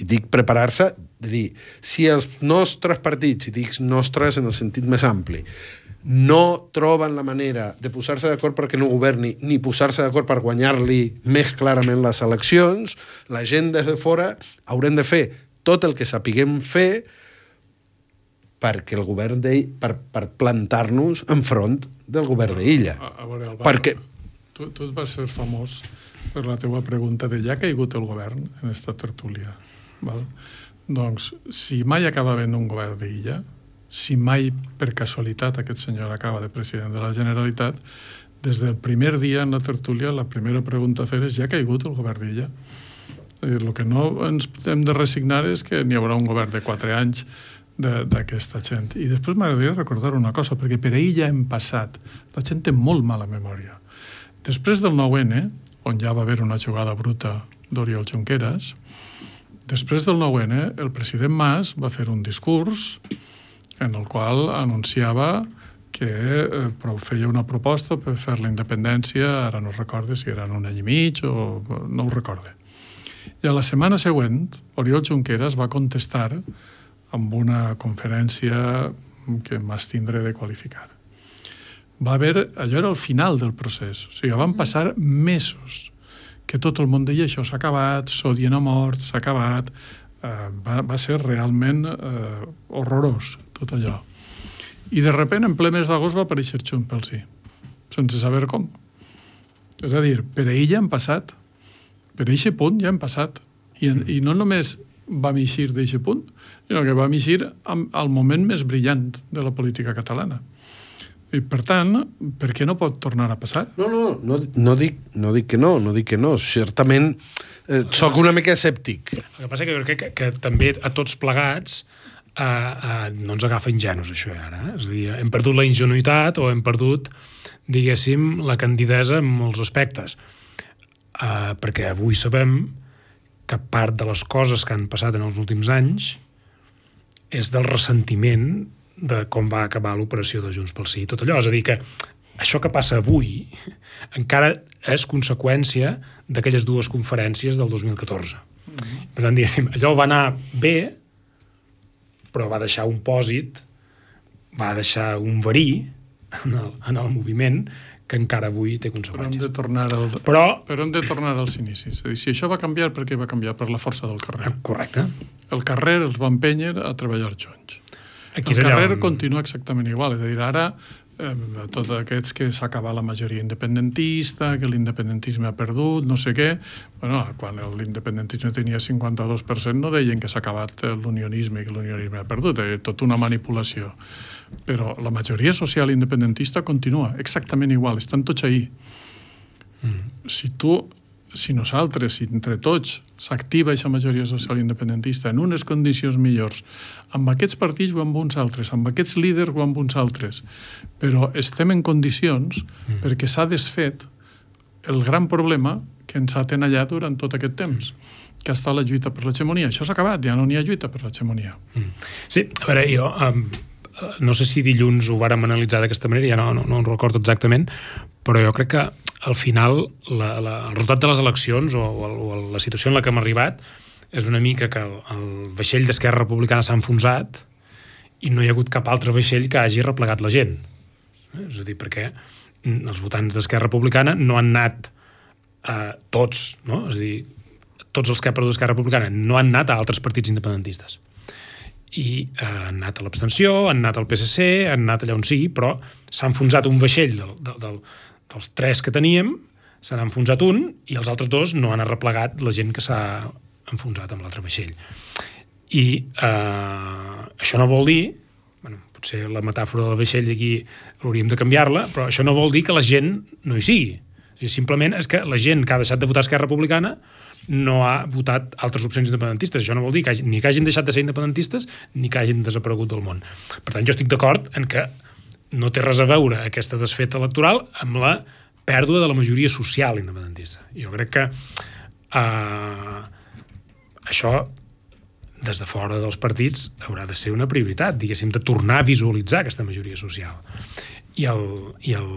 I dic preparar-se, de dir, si els nostres partits, i dic nostres en el sentit més ampli, no troben la manera de posar-se d'acord perquè no governi, ni posar-se d'acord per guanyar-li més clarament les eleccions, la gent des de fora haurem de fer tot el que sapiguem fer perquè el govern d'Illa, per, per plantar-nos enfront del govern d'Illa.
A, a veure, Álvaro,
perquè...
tu, tu et vas ser famós per la teva pregunta de ja ha caigut el govern en esta tertúlia. Val? Doncs, si mai acaba havent un govern d'Illa, si mai per casualitat aquest senyor acaba de president de la Generalitat, des del primer dia en la tertúlia la primera pregunta a fer és ja ha caigut el govern d'Illa. El que no ens hem de resignar és que n'hi haurà un govern de quatre anys d'aquesta gent. I després m'agradaria recordar una cosa, perquè per ahir ja hem passat. La gent té molt mala memòria. Després del nou ene, on ja va haver una jugada bruta d'Oriol Junqueras, després del nou ene, el president Mas va fer un discurs en el qual anunciava que eh, feia una proposta per fer la independència, ara no recordo si eren un any i mig o no ho recordo. I a la setmana següent, Oriol Junqueras va contestar amb una conferència que m'abstindré de qualificar. Va haver, allò era el final del procés, o sigui, van passar mesos que tot el món deia això s'ha acabat, Sodien ha mort, s'ha acabat, eh, va, va ser realment eh, horrorós tot allò. I de sobte, en ple mes d'agost, va aparèixer Junts pel Sí, sense saber com. És a dir, per ahir ja han passat, per aquest punt ja han passat, i, i no només vam eixir d'aquest punt, sinó que vam eixir al moment més brillant de la política catalana. I, per tant, per què no pot tornar a passar?
No, no, no, no, dic, no dic que no, no dic que no. Certament, eh, soc una mica escèptic.
El que passa que jo crec que, que també a tots plegats eh, eh, no ens agafa ingenus, això, ara. Eh? És a dir, hem perdut la ingenuïtat o hem perdut, diguéssim, la candidesa en molts aspectes. Eh, perquè avui sabem que part de les coses que han passat en els últims anys és del ressentiment de com va acabar l'operació de Junts pel Sí i tot allò. És a dir, que això que passa avui encara és conseqüència d'aquelles dues conferències del dos mil catorze. Mm-hmm. Per tant, diguéssim, allò va anar bé, però va deixar un pòsit, va deixar un verí en el, en el moviment que encara avui té conseqüències.
Però hem de tornar, al,
però,
però hem de tornar als inicis. És a dir, si això va canviar, per què va canviar? Per la força del carrer.
Correcte.
El carrer els va empènyer a treballar junts.
Aquí
el carrer
on...
continua exactament igual. És a dir, ara, eh, tots aquests que s'ha acabat la majoria independentista, que l'independentisme ha perdut, no sé què... Bueno, quan l'independentisme tenia cinquanta-dos per cent no deien que s'ha acabat l'unionisme i que l'unionisme ha perdut. És tota una manipulació. Però la majoria social independentista continua exactament igual, estan tots ahí. Mm. Si tu, si nosaltres, si entre tots s'activa aquesta majoria social independentista en unes condicions millors, amb aquests partits o amb uns altres, amb aquests líders o amb uns altres, però estem en condicions mm. perquè s'ha desfet el gran problema que ens ha tenallat durant tot aquest temps, que ha estat la lluita per l'hegemonia. Això s'ha acabat, ja no n'hi ha lluita per l'hegemonia.
Mm. Sí, a veure, jo... Um... no sé si dilluns ho vàrem analitzar d'aquesta manera, ja no, no, no ho recordo exactament, però jo crec que al final la, la, el resultat de les eleccions o, o, o la situació en la que hem arribat és una mica que el, el vaixell d'Esquerra Republicana s'ha enfonsat i no hi ha hagut cap altre vaixell que hagi replegat la gent. És a dir, perquè els votants d'Esquerra Republicana no han anat eh, tots, no? És a dir, tots els que ha perdut Esquerra Republicana no han anat a altres partits independentistes. I eh, han anat a l'abstenció, han anat al P S C, han anat allà on sigui, però s'ha enfonsat un vaixell del, del, del, dels tres que teníem, se n'ha enfonsat un i els altres dos no han arreplegat la gent que s'ha enfonsat amb l'altre vaixell. I eh, això no vol dir, bueno, potser la metàfora del vaixell aquí hauríem de canviar-la, però això no vol dir que la gent no hi sigui. O sigui, simplement és que la gent que ha deixat de votar Esquerra Republicana no ha votat altres opcions independentistes. Això no vol dir que hagi, ni que hagin deixat de ser independentistes ni que hagin desaparegut del món. Per tant, jo estic d'acord en que no té res a veure aquesta desfeta electoral amb la pèrdua de la majoria social independentista. Jo crec que eh, això, des de fora dels partits, haurà de ser una prioritat, diguéssim, de tornar a visualitzar aquesta majoria social. I el... I el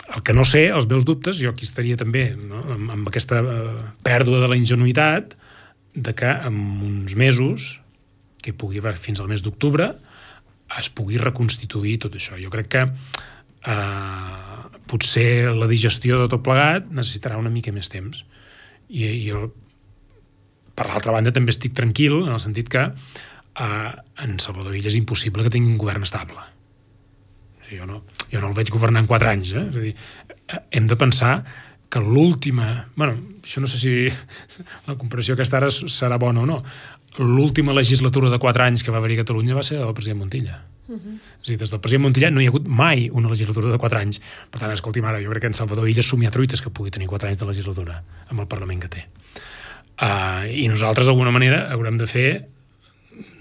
El que no sé, els meus dubtes, jo aquí estaria també, no? amb, amb aquesta eh, pèrdua de la ingenuïtat de que en uns mesos, que pugui haver fins al mes d'octubre, es pugui reconstituir tot això. Jo crec que eh, potser la digestió de tot plegat necessitarà una mica més temps. I, i jo, per l'altra banda, també estic tranquil en el sentit que Uh, en Salvador Illa és impossible que tingui un govern estable. Jo no, jo no el veig governar en quatre anys. Eh? És a dir, hem de pensar que l'última... Bueno, això no sé si la comparació aquesta ara serà bona o no. L'última legislatura de quatre anys que va haver-hi a Catalunya va ser la del president Montilla. Uh-huh. És a dir, des del president Montilla no hi ha hagut mai una legislatura de quatre anys. Per tant, escolti'm, ara jo crec que en Salvador Illa somia truites que pugui tenir quatre anys de legislatura amb el Parlament que té. Uh, I nosaltres, d'alguna manera, haurem de fer,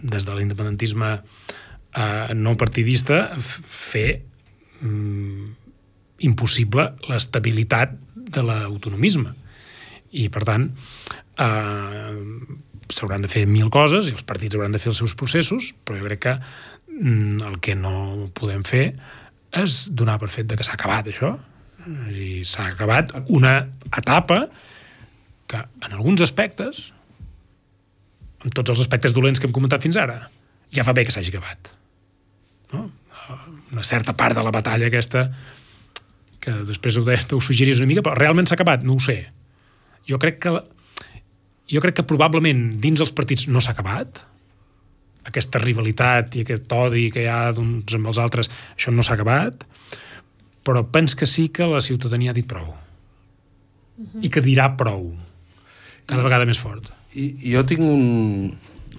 des de l'independentisme uh, no partidista, fer um, impossible l'estabilitat de l'autonomisme. I, per tant, uh, s'hauran de fer mil coses i els partits hauran de fer els seus processos, però jo crec que mm, el que no podem fer és donar per fet de que s'ha acabat això. I s'ha acabat una etapa que en alguns aspectes, en tots els aspectes dolents que hem comentat fins ara, ja fa bé que s'hagi acabat. No? Una certa part de la batalla aquesta, que després ho, ho suggeris una mica, però realment s'ha acabat? No ho sé. Jo crec que jo crec que probablement dins els partits no s'ha acabat. Aquesta rivalitat i aquest odi que hi ha d'uns amb els altres, això no s'ha acabat, però pens que sí que la ciutadania ha dit prou. Uh-huh. I que dirà prou. Cada vegada més fort.
I, i jo tinc un...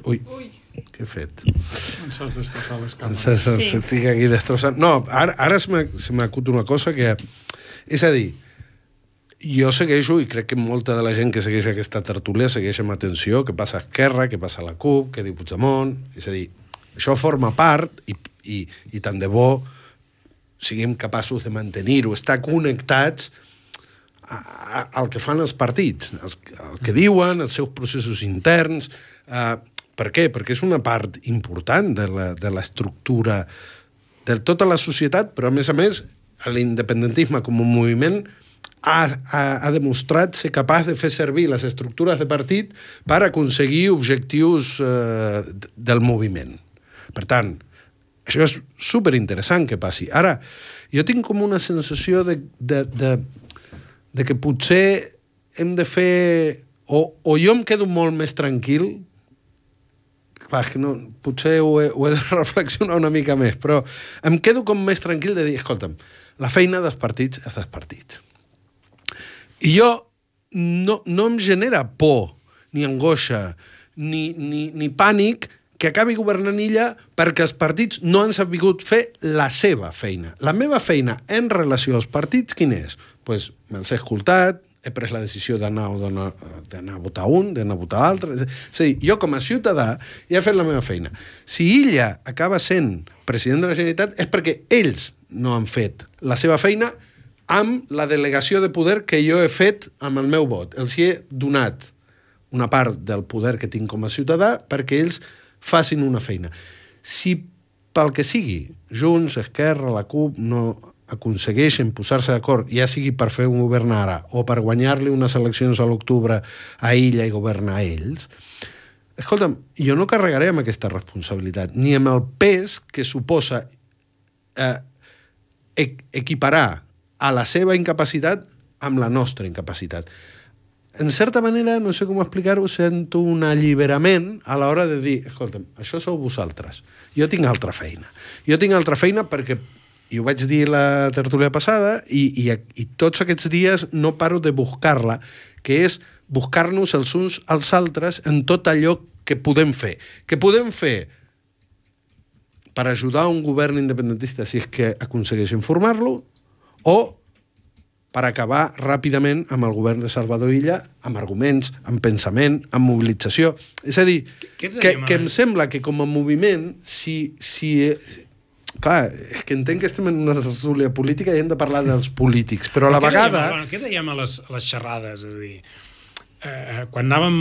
Ui, Ui. Què he fet?
Ens has destrossat les càmeres.
Ens has sí. Estic aquí destrossant... No, ara, ara se m'acut una cosa que... És a dir, jo segueixo, i crec que molta de la gent que segueix aquesta tertúlia segueix amb atenció què passa a Esquerra, què passa a la CUP, què diu Puigdemont... És a dir, això forma part, i, i, i tant de bo siguem capaços de mantenir-ho, estar connectats al que fan els partits, el que diuen, els seus processos interns. Eh, per què? Perquè és una part important de la, de l'estructura de tota la societat, però a més a més l'independentisme com un moviment ha, ha, ha demostrat ser capaç de fer servir les estructures de partit per aconseguir objectius eh, del moviment. Per tant, això és superinteressant que passi. Ara, jo tinc com una sensació de, de, de de que potser hem de fer... O, o jo em quedo molt més tranquil, clar, que no, potser ho he, ho he de reflexionar una mica més, però em quedo com més tranquil de dir, escolta'm, la feina dels partits és dels partits. I jo no, no em genera por, ni angoixa, ni, ni, ni pànic que acabi governant ella perquè els partits no han sabut fer la seva feina. La meva feina en relació als partits, quin és? Pues, me'ls he escoltat, he pres la decisió d'anar d'anar a votar un, d'anar a votar l'altre. És a dir, jo com a ciutadà ja he fet la meva feina. Si ella acaba sent president de la Generalitat és perquè ells no han fet la seva feina amb la delegació de poder que jo he fet amb el meu vot. Els he donat una part del poder que tinc com a ciutadà perquè ells facin una feina. Si pel que sigui, Junts, Esquerra, la CUP, no aconsegueixen posar-se d'acord, ja sigui per fer un govern ara o per guanyar-li unes eleccions a l'octubre a ella i governar a ells, escolta'm, jo no carregaré amb aquesta responsabilitat, ni amb el pes que suposa eh, equiparar a la seva incapacitat amb la nostra incapacitat. En certa manera, no sé com explicar-ho, sento un alliberament a l'hora de dir, escolta'm, això sou vosaltres, jo tinc altra feina. Jo tinc altra feina perquè, i ho vaig dir la tertúlia passada, i, i, i tots aquests dies no paro de buscar-la, que és buscar-nos els uns als altres en tot allò que podem fer. Que podem fer per ajudar un govern independentista si és que aconsegueixen formar-lo, o per acabar ràpidament amb el govern de Salvador Illa, amb arguments, amb pensament, amb mobilització. És a dir, que, que em sembla que com a moviment, si, si... Clar, és que entenc que estem en una tertúlia política i hem de parlar dels polítics, però a la vegada...
Dèiem, bueno, què dèiem a les, a les xerrades? És a dir, eh, quan anàvem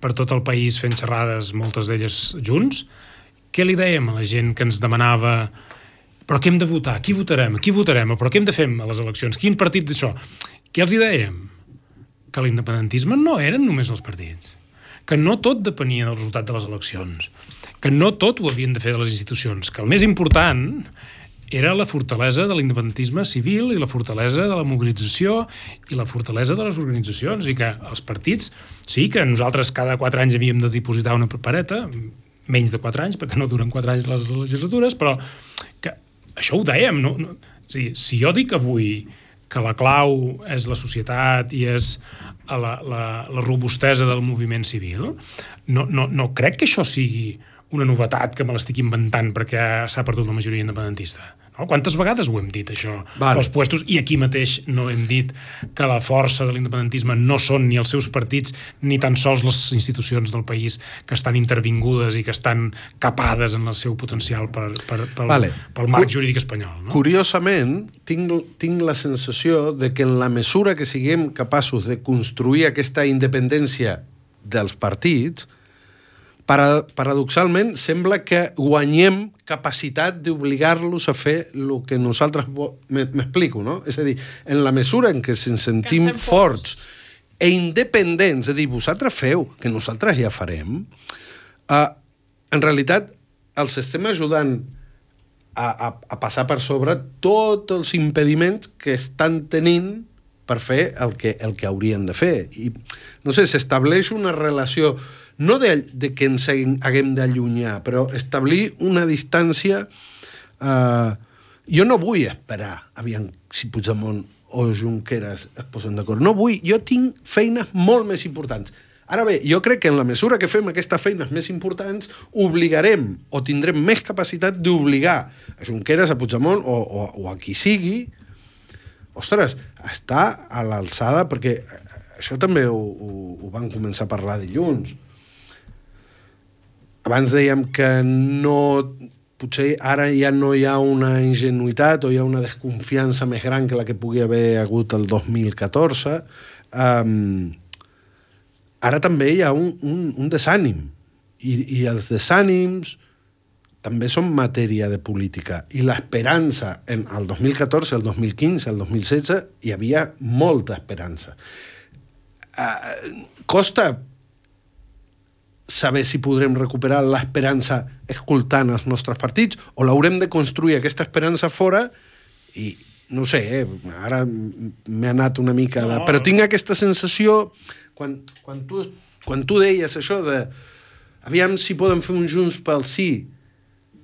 per tot el país fent xerrades, moltes d'elles junts, què li dèiem a la gent que ens demanava... Però què hem de votar? Qui votarem? Qui votarem? Però què hem de fer a les eleccions? Quin partit d'això? Què els hi dèiem? Que l'independentisme no eren només els partits. Que no tot depenia del resultat de les eleccions. Que no tot ho havien de fer de les institucions. Que el més important era la fortalesa de l'independentisme civil i la fortalesa de la mobilització i la fortalesa de les organitzacions, i que els partits, sí que nosaltres cada quatre anys havíem de dipositar una papereta, menys de quatre anys, perquè no duren quatre anys les legislatures, però que això ho dèiem, no? no sí, si jo dic avui que la clau és la societat i és la, la, la robustesa del moviment civil, no, no, no crec que això sigui una novetat que me l'estic inventant perquè s'ha perdut la majoria independentista. No? Quantes vegades ho hem dit, això,
vale.
als puestos, i aquí mateix no hem dit que la força de l'independentisme no són ni els seus partits ni tan sols les institucions del país que estan intervingudes i que estan capades en el seu potencial per, per, pel,
vale.
pel marc jurídic espanyol. No?
Curiosament, tinc, tinc la sensació de que en la mesura que siguem capaços de construir aquesta independència dels partits, Para, paradoxalment, sembla que guanyem capacitat d'obligar-los a fer el que nosaltres... M'explico, no? És a dir, en la mesura en què ens sentim forts, forts e independents, és a dir, vosaltres feu, que nosaltres ja farem, uh, en realitat els estem ajudant a, a, a passar per sobre tots els impediments que estan tenint per fer el que, el que haurien de fer. I, no sé, s'estableix una relació... no de, de que ens haguem d'allunyar, però establir una distància... Eh, jo no vull esperar, aviam, si Puigdemont o Junqueras es posen d'acord. No vull, jo tinc feines molt més importants. Ara bé, jo crec que en la mesura que fem aquestes feines més importants, obligarem o tindrem més capacitat d'obligar a Junqueras, a Puigdemont o, o, o a qui sigui, ostres, està a l'alçada, perquè això també ho, ho, ho van començar a parlar dilluns. Abans dèiem que no, potser ara ja no hi ha una ingenuïtat o hi ha una desconfiança més gran que la que pugui haver hagut el dos mil catorze. Um, ara també hi ha un, un, un desànim. I, I els desànims també són matèria de política. I l'esperança, en el dos mil catorze, el dos mil quinze, el dos mil setze, hi havia molta esperança. Uh, costa saber si podrem recuperar l'esperança escoltant els nostres partits o l'haurem de construir aquesta esperança fora i, no sé, eh, ara m'he anat una mica de... No. Però tinc aquesta sensació quan, quan, tu, quan tu deies això de aviam si poden fer un Junts pel Sí,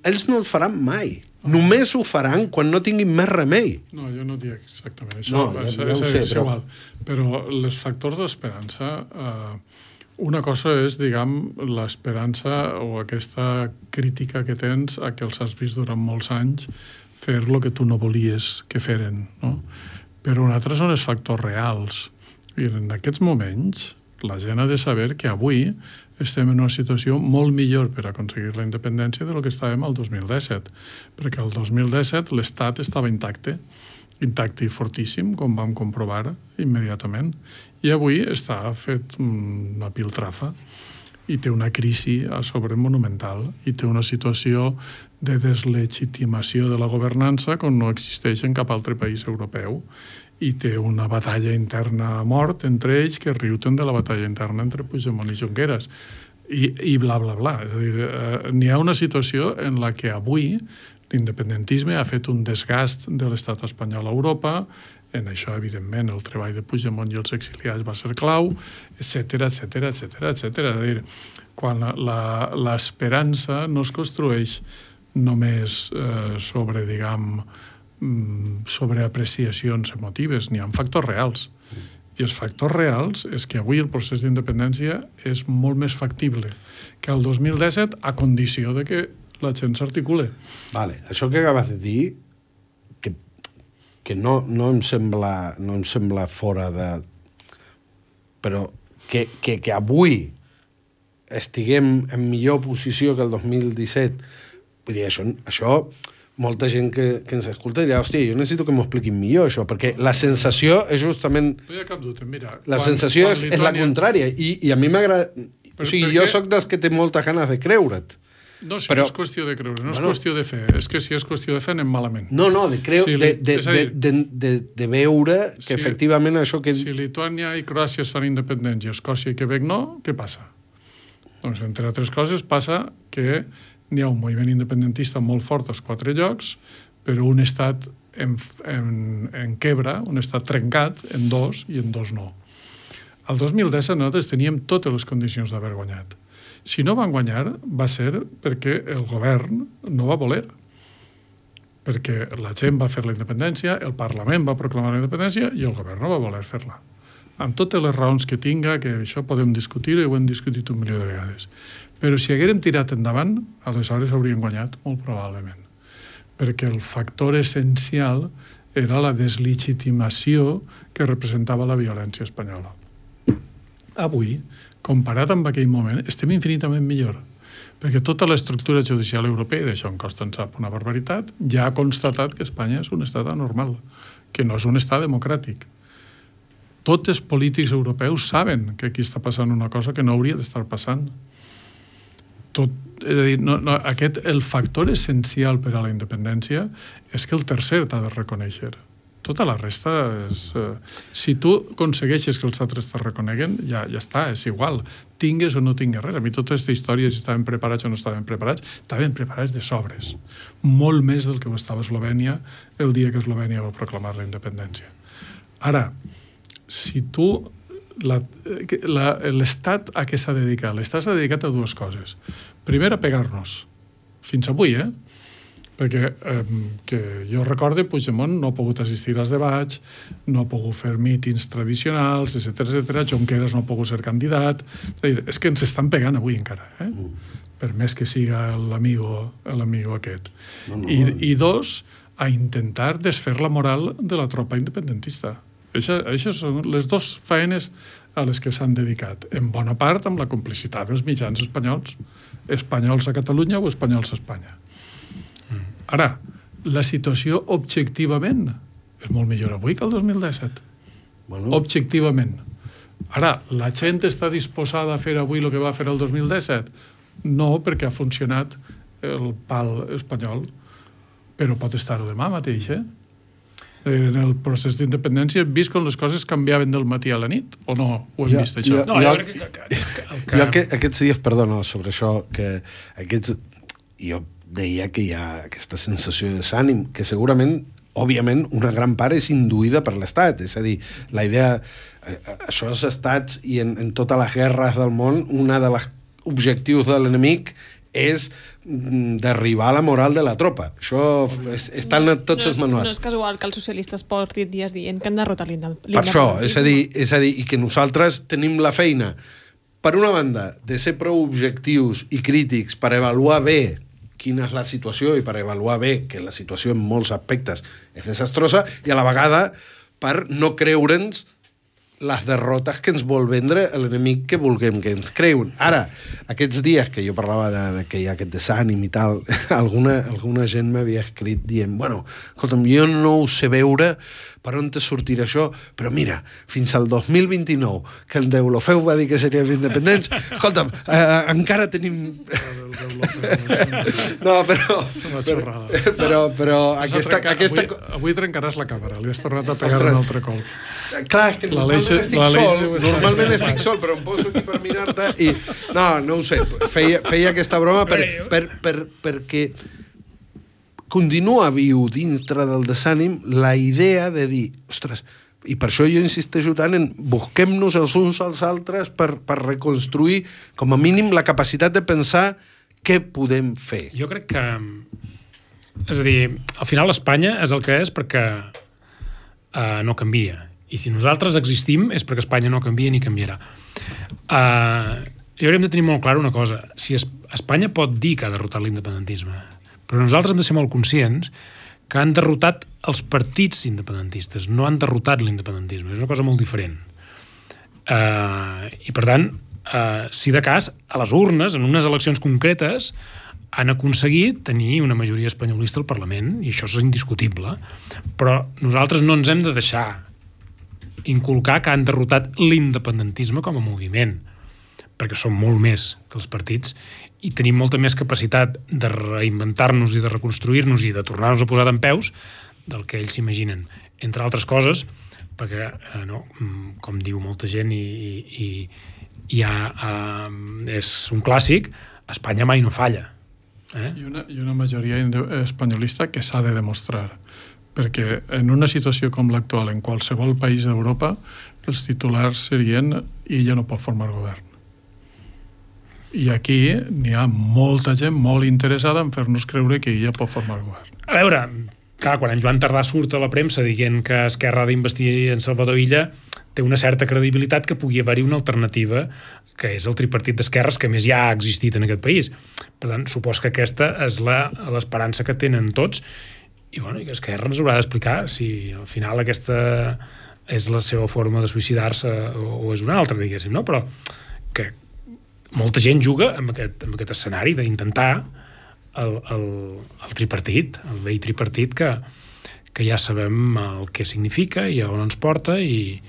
ells no el faran mai. Només ho faran quan no tinguin més remei.
No, jo no dic exactament això.
No,
és,
ja, ja
és,
ho sé,
és
però...
igual. Però els factors d'esperança... Eh, una cosa és, diguem, l'esperança o aquesta crítica que tens a que els has vist durant molts anys fer el que tu no volies que feren, no? Però un altre són els factors reals. I en aquests moments la gent ha de saber que avui estem en una situació molt millor per aconseguir la independència del que estàvem el dos mil disset, perquè el dos mil disset l'Estat estava intacte, intacte i fortíssim, com vam comprovar immediatament, i avui està fet una piltrafa i té una crisi a sobre monumental i té una situació de deslegitimació de la governança com no existeix en cap altre país europeu i té una batalla interna a mort entre ells que riuten de la batalla interna entre Puigdemont i Junqueras i, i bla, bla, bla. És a dir, eh, n'hi ha una situació en la que avui l'independentisme ha fet un desgast de l'estat espanyol a Europa. En això, evidentment, el treball de Puigdemont i els exiliats va ser clau, etcètera, etcètera, etcètera, etcètera. És a dir, quan l'esperança no es construeix només eh, sobre, diguem, sobre apreciacions emotives, n'hi ha factors reals. I els factors reals és que avui el procés d'independència és molt més factible que el dos mil disset a condició de que la gent s'articule.
Vale, això que acabes de dir que, que no, no, em sembla, no em sembla fora de... Però que, que, que avui estiguem en millor posició que el dos mil disset, vull dir, això, això molta gent que, que ens escolta dirà, hòstia, jo necessito que m'ho expliquin millor, això, perquè la sensació és justament...
No hi ha cap dubte, mira...
La
quan,
sensació
quan
és, és la contrària, i, i a mi m'agrada... O sigui, jo sóc dels que té moltes ganes de creure't.
No, si
però,
no és qüestió de creure, no
bueno,
és qüestió de fer. És que si és qüestió de fer, anem malament.
No, no, de, creu,
si
de,
li,
de, de, de, de, de veure que
si,
efectivament això que...
Si Lituània i Croàcia es fan independents i Escòcia i Quebec no, què passa? Doncs, entre altres coses, passa que n'hi ha un moviment independentista molt fort als quatre llocs, però un estat en, en, en quebra, un estat trencat en dos i en dos no. El dos mil disset nosaltres teníem totes les condicions d'haver guanyat. Si no van guanyar va ser perquè el govern no va voler, perquè la gent va fer la independència, el Parlament va proclamar la independència i el govern no va voler fer-la. Amb totes les raons que tinga, que això podem discutir i ho hem discutit un milió de vegades. Però si haguérem tirat endavant, aleshores hauríem guanyat, molt probablement. Perquè el factor essencial era la deslegitimació que representava la violència espanyola. Avui, comparat amb aquell moment, estem infinitament millor. Perquè tota l'estructura judicial europea, i d'això en Costa en sap una barbaritat, ja ha constatat que Espanya és un estat anormal, que no és un estat democràtic. Tots els polítics europeus saben que aquí està passant una cosa que no hauria d'estar passant. Tot, és a dir, no, no, aquest, el factor essencial per a la independència és que el tercer t'ha de reconèixer. Tota la resta és... Eh, si tu aconsegueixes que els altres te reconeguen, ja, ja està, és igual. Tingues o no tingues res. A mi tota aquesta història, si estaven preparats o no estaven preparats, estaven preparats de sobres. Molt més del que ho estava Eslovènia el dia que Eslovènia va proclamar la independència. Ara, si tu... L'Estat a què s'ha dedicat? L'Estat s'ha dedicat a dues coses. Primer, a pegar-nos. Fins avui, eh? Perquè eh, que jo recorde, Puigdemont no ha pogut assistir als debats, no ha pogut fer mítings tradicionals, etcètera, etcètera. Junqueras no ha pogut ser candidat. És a dir, és que ens estan pegant avui encara, eh? Mm. Per més que siga l'amigo l'amigo aquest. No, no. I, I dos, a intentar desfer la moral de la tropa independentista. Això, això són les dues feines a les que s'han dedicat, en bona part amb la complicitat dels mitjans espanyols, espanyols a Catalunya o espanyols a Espanya. Ara, la situació objectivament és molt millor avui que el dos mil disset. Bueno. Objectivament. Ara, la gent està disposada a fer avui el que va fer el dos mil disset? No, perquè ha funcionat el pal espanyol, però pot estar-ho demà mateix, eh? En el procés d'independència hem vist com les coses canviaven del matí a la nit, o no ho hem
jo,
vist, això?
Jo,
no,
jo,
jo crec que... que, que, que...
Jo que, aquests dies, perdona, sobre això, que aquests... Jo deia que hi ha aquesta sensació de desànim, que segurament, òbviament, una gran part és induïda per l'Estat. És a dir, la idea... Això dels estats i en, en totes les guerres del món, una de les objectius de l'enemic és derribar la moral de la tropa. Això és, està en tots
no
els manuals.
No és casual que els socialistes portin dies dient que han derrotat l'independentisme.
Per això, és a dir, és a dir, i que nosaltres tenim la feina, per una banda, de ser prou objectius i crítics per avaluar bé quina és la situació i per avaluar bé que la situació en molts aspectes és desastrosa, i a la vegada per no creure'ns les derrotes que ens vol vendre l'enemic que vulguem que ens creuen. Ara, aquests dies que jo parlava de, de que hi ha aquest desànim i tal, alguna, alguna gent m'havia escrit dient, bueno, escolta'm, jo no ho sé veure per on te sortirà això, però mira, fins al dos mil vint-i-nou, que el Deulofeu va dir que seríem independents, escolta'm, eh, encara tenim... No, però... Però, però, però aquesta...
Trencar,
aquesta...
Avui, avui trencaràs la càmera, li has tornat a pegar un altre col.
Clar, és que normalment estic sol, normalment estic sol, però em poso aquí per mirar-te i... No, no ho sé, feia, feia aquesta broma per, per, per, perquè continua viu dintre del desànim la idea de dir, ostres, i per això jo insisteixo tant en busquem-nos els uns als altres per, per reconstruir, com a mínim, la capacitat de pensar què podem fer.
Jo crec que... És a dir, al final Espanya és el que és perquè uh, no canvia. I si nosaltres existim és perquè Espanya no canvia ni canviarà. Uh, i haurem de tenir molt clar una cosa. Si es, Espanya pot dir que ha derrotat l'independentisme, però nosaltres hem de ser molt conscients que han derrotat els partits independentistes, no han derrotat l'independentisme. És una cosa molt diferent. Uh, I, per tant, uh, si de cas, a les urnes, en unes eleccions concretes, han aconseguit tenir una majoria espanyolista al Parlament, i això és indiscutible, però nosaltres no ens hem de deixar inculcar que han derrotat l'independentisme com a moviment, perquè som molt més que els partits i tenim molta més capacitat de reinventar-nos i de reconstruir-nos i de tornar-nos a posar dempeus del que ells s'imaginen. Entre altres coses, perquè, eh, no, com diu molta gent i, i, i ja eh, és un clàssic, Espanya mai no falla. Eh?
I, una, I una majoria espanyolista que s'ha de demostrar. Perquè en una situació com l'actual, en qualsevol país d'Europa, els titulars serien ella no pot formar govern. I aquí n'hi ha molta gent molt interessada en fer-nos creure que ella pot formar govern.
A veure, clar, quan en Joan Tardà surt a la premsa dient que Esquerra ha d'investir en Salvador Illa, té una certa credibilitat que pugui haver-hi una alternativa, que és el tripartit d'esquerres, que més ja ha existit en aquest país. Per tant, supos que aquesta és la, l'esperança que tenen tots, i, bueno, i que Esquerra ens haurà d'explicar si al final aquesta és la seva forma de suïcidar-se o, o és una altra, diguéssim, no? Però que molta gent juga amb aquest, amb aquest escenari d'intentar el, el, el tripartit, el vell tripartit que, que ja sabem el que significa i on ens porta i,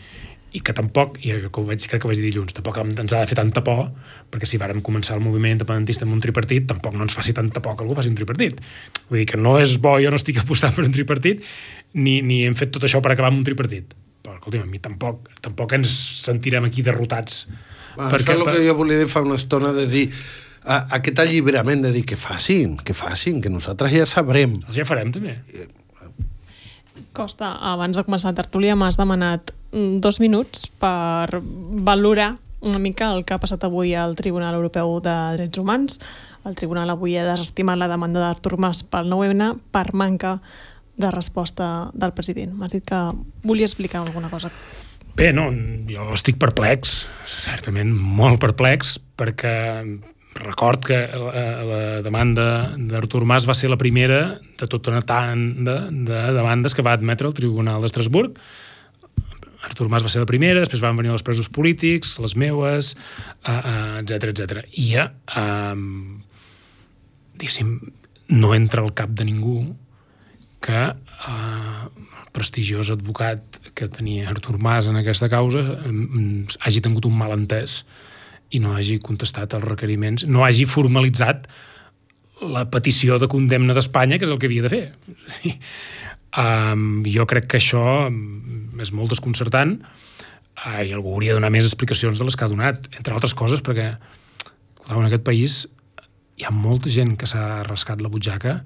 i que tampoc, i que ho vaig, crec que ho vaig dir dilluns, tampoc ens ha de fer tanta por, perquè si vàrem començar el moviment independentista amb un tripartit, tampoc no ens faci tanta por que algú faci un tripartit. Vull dir que no és bo, jo no estic apostant per un tripartit, ni, ni hem fet tot això per acabar amb un tripartit. Però, escolta'm, a mi tampoc, tampoc ens sentirem aquí derrotats.
Bueno, perquè, això és el que jo volia dir fa una estona, de dir a, aquest alliberament, de dir que facin, que facin, que nosaltres ja sabrem.
Els ja farem, també.
Costa, abans de començar la tertúlia m'has demanat dos minuts per valorar una mica el que ha passat avui al Tribunal Europeu de Drets Humans. El tribunal avui ha desestimat la demanda d'Artur Mas pel nou ene per manca de resposta del president. M'has dit que volia explicar alguna cosa.
Bé, no, jo estic perplex, certament molt perplex, perquè record que la, la demanda d'Artur Mas va ser la primera de tota una tanda de demandes que va admetre el Tribunal d'Estrasburg. Artur Mas va ser la primera, després van venir els presos polítics, les meues, etcètera, etcètera. I ja, um, diguéssim, no entra al cap de ningú que uh, el prestigiós advocat que tenia Artur Mas en aquesta causa um, hagi tingut un malentès i no hagi contestat els requeriments, no hagi formalitzat la petició de condemna d'Espanya, que és el que havia de fer. um, jo crec que això és molt desconcertant uh, i algú hauria de donar més explicacions de les que ha donat, entre altres coses perquè en aquest país hi ha molta gent que s'ha rascat la butxaca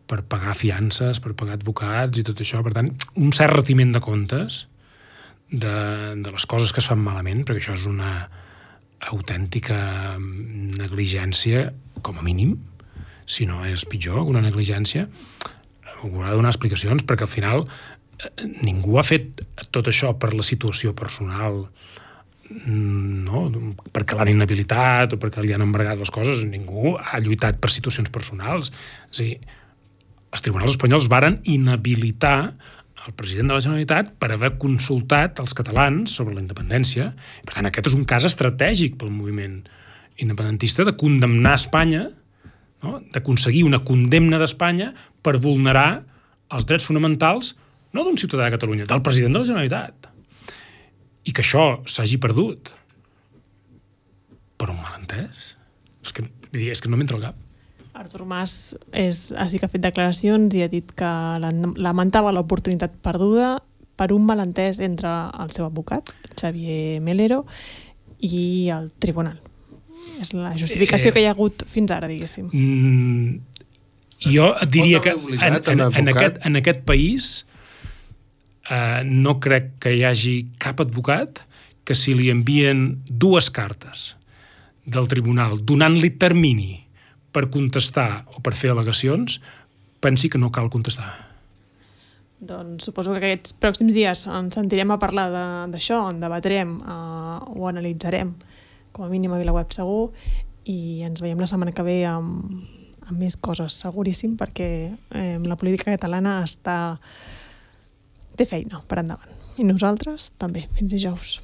per pagar fiances, per pagar advocats i tot això. Per tant, un cert retiment de comptes de, de les coses que es fan malament, perquè això és una autèntica negligència, com a mínim, si no és pitjor, una negligència, haurà de donar explicacions, perquè al final eh, ningú ha fet tot això per la situació personal, no? Perquè l'han inhabilitat o perquè li han embargat les coses. Ningú ha lluitat per situacions personals. És a dir, els tribunals espanyols varen inhabilitar el president de la Generalitat per haver consultat els catalans sobre la independència. Per tant, aquest és un cas estratègic pel moviment independentista de condemnar Espanya, no? D'aconseguir una condemna d'Espanya per vulnerar els drets fonamentals no d'un ciutadà de Catalunya, del president de la Generalitat. I que això s'hagi perdut per un malentès? És que, és que no m'entra al cap.
Artur Mas és, sí que ha fet declaracions i ha dit que lamentava l'oportunitat perduda per un malentès entre el seu advocat, Xavier Melero, i el tribunal. És la justificació eh, que hi ha hagut fins ara, diguéssim.
Mm, jo et diria que en, en, en, aquest, en aquest país eh, no crec que hi hagi cap advocat que si li envien dues cartes del tribunal donant-li termini per contestar o per fer al·legacions, pensi que no cal contestar.
Doncs suposo que aquests pròxims dies ens sentirem a parlar d'això, en debatrem, eh, o analitzarem, com a mínim a VilaWeb segur, i ens veiem la setmana que ve amb, amb més coses, seguríssim, perquè eh, la política catalana està té feina per endavant. I nosaltres també, fins dijous.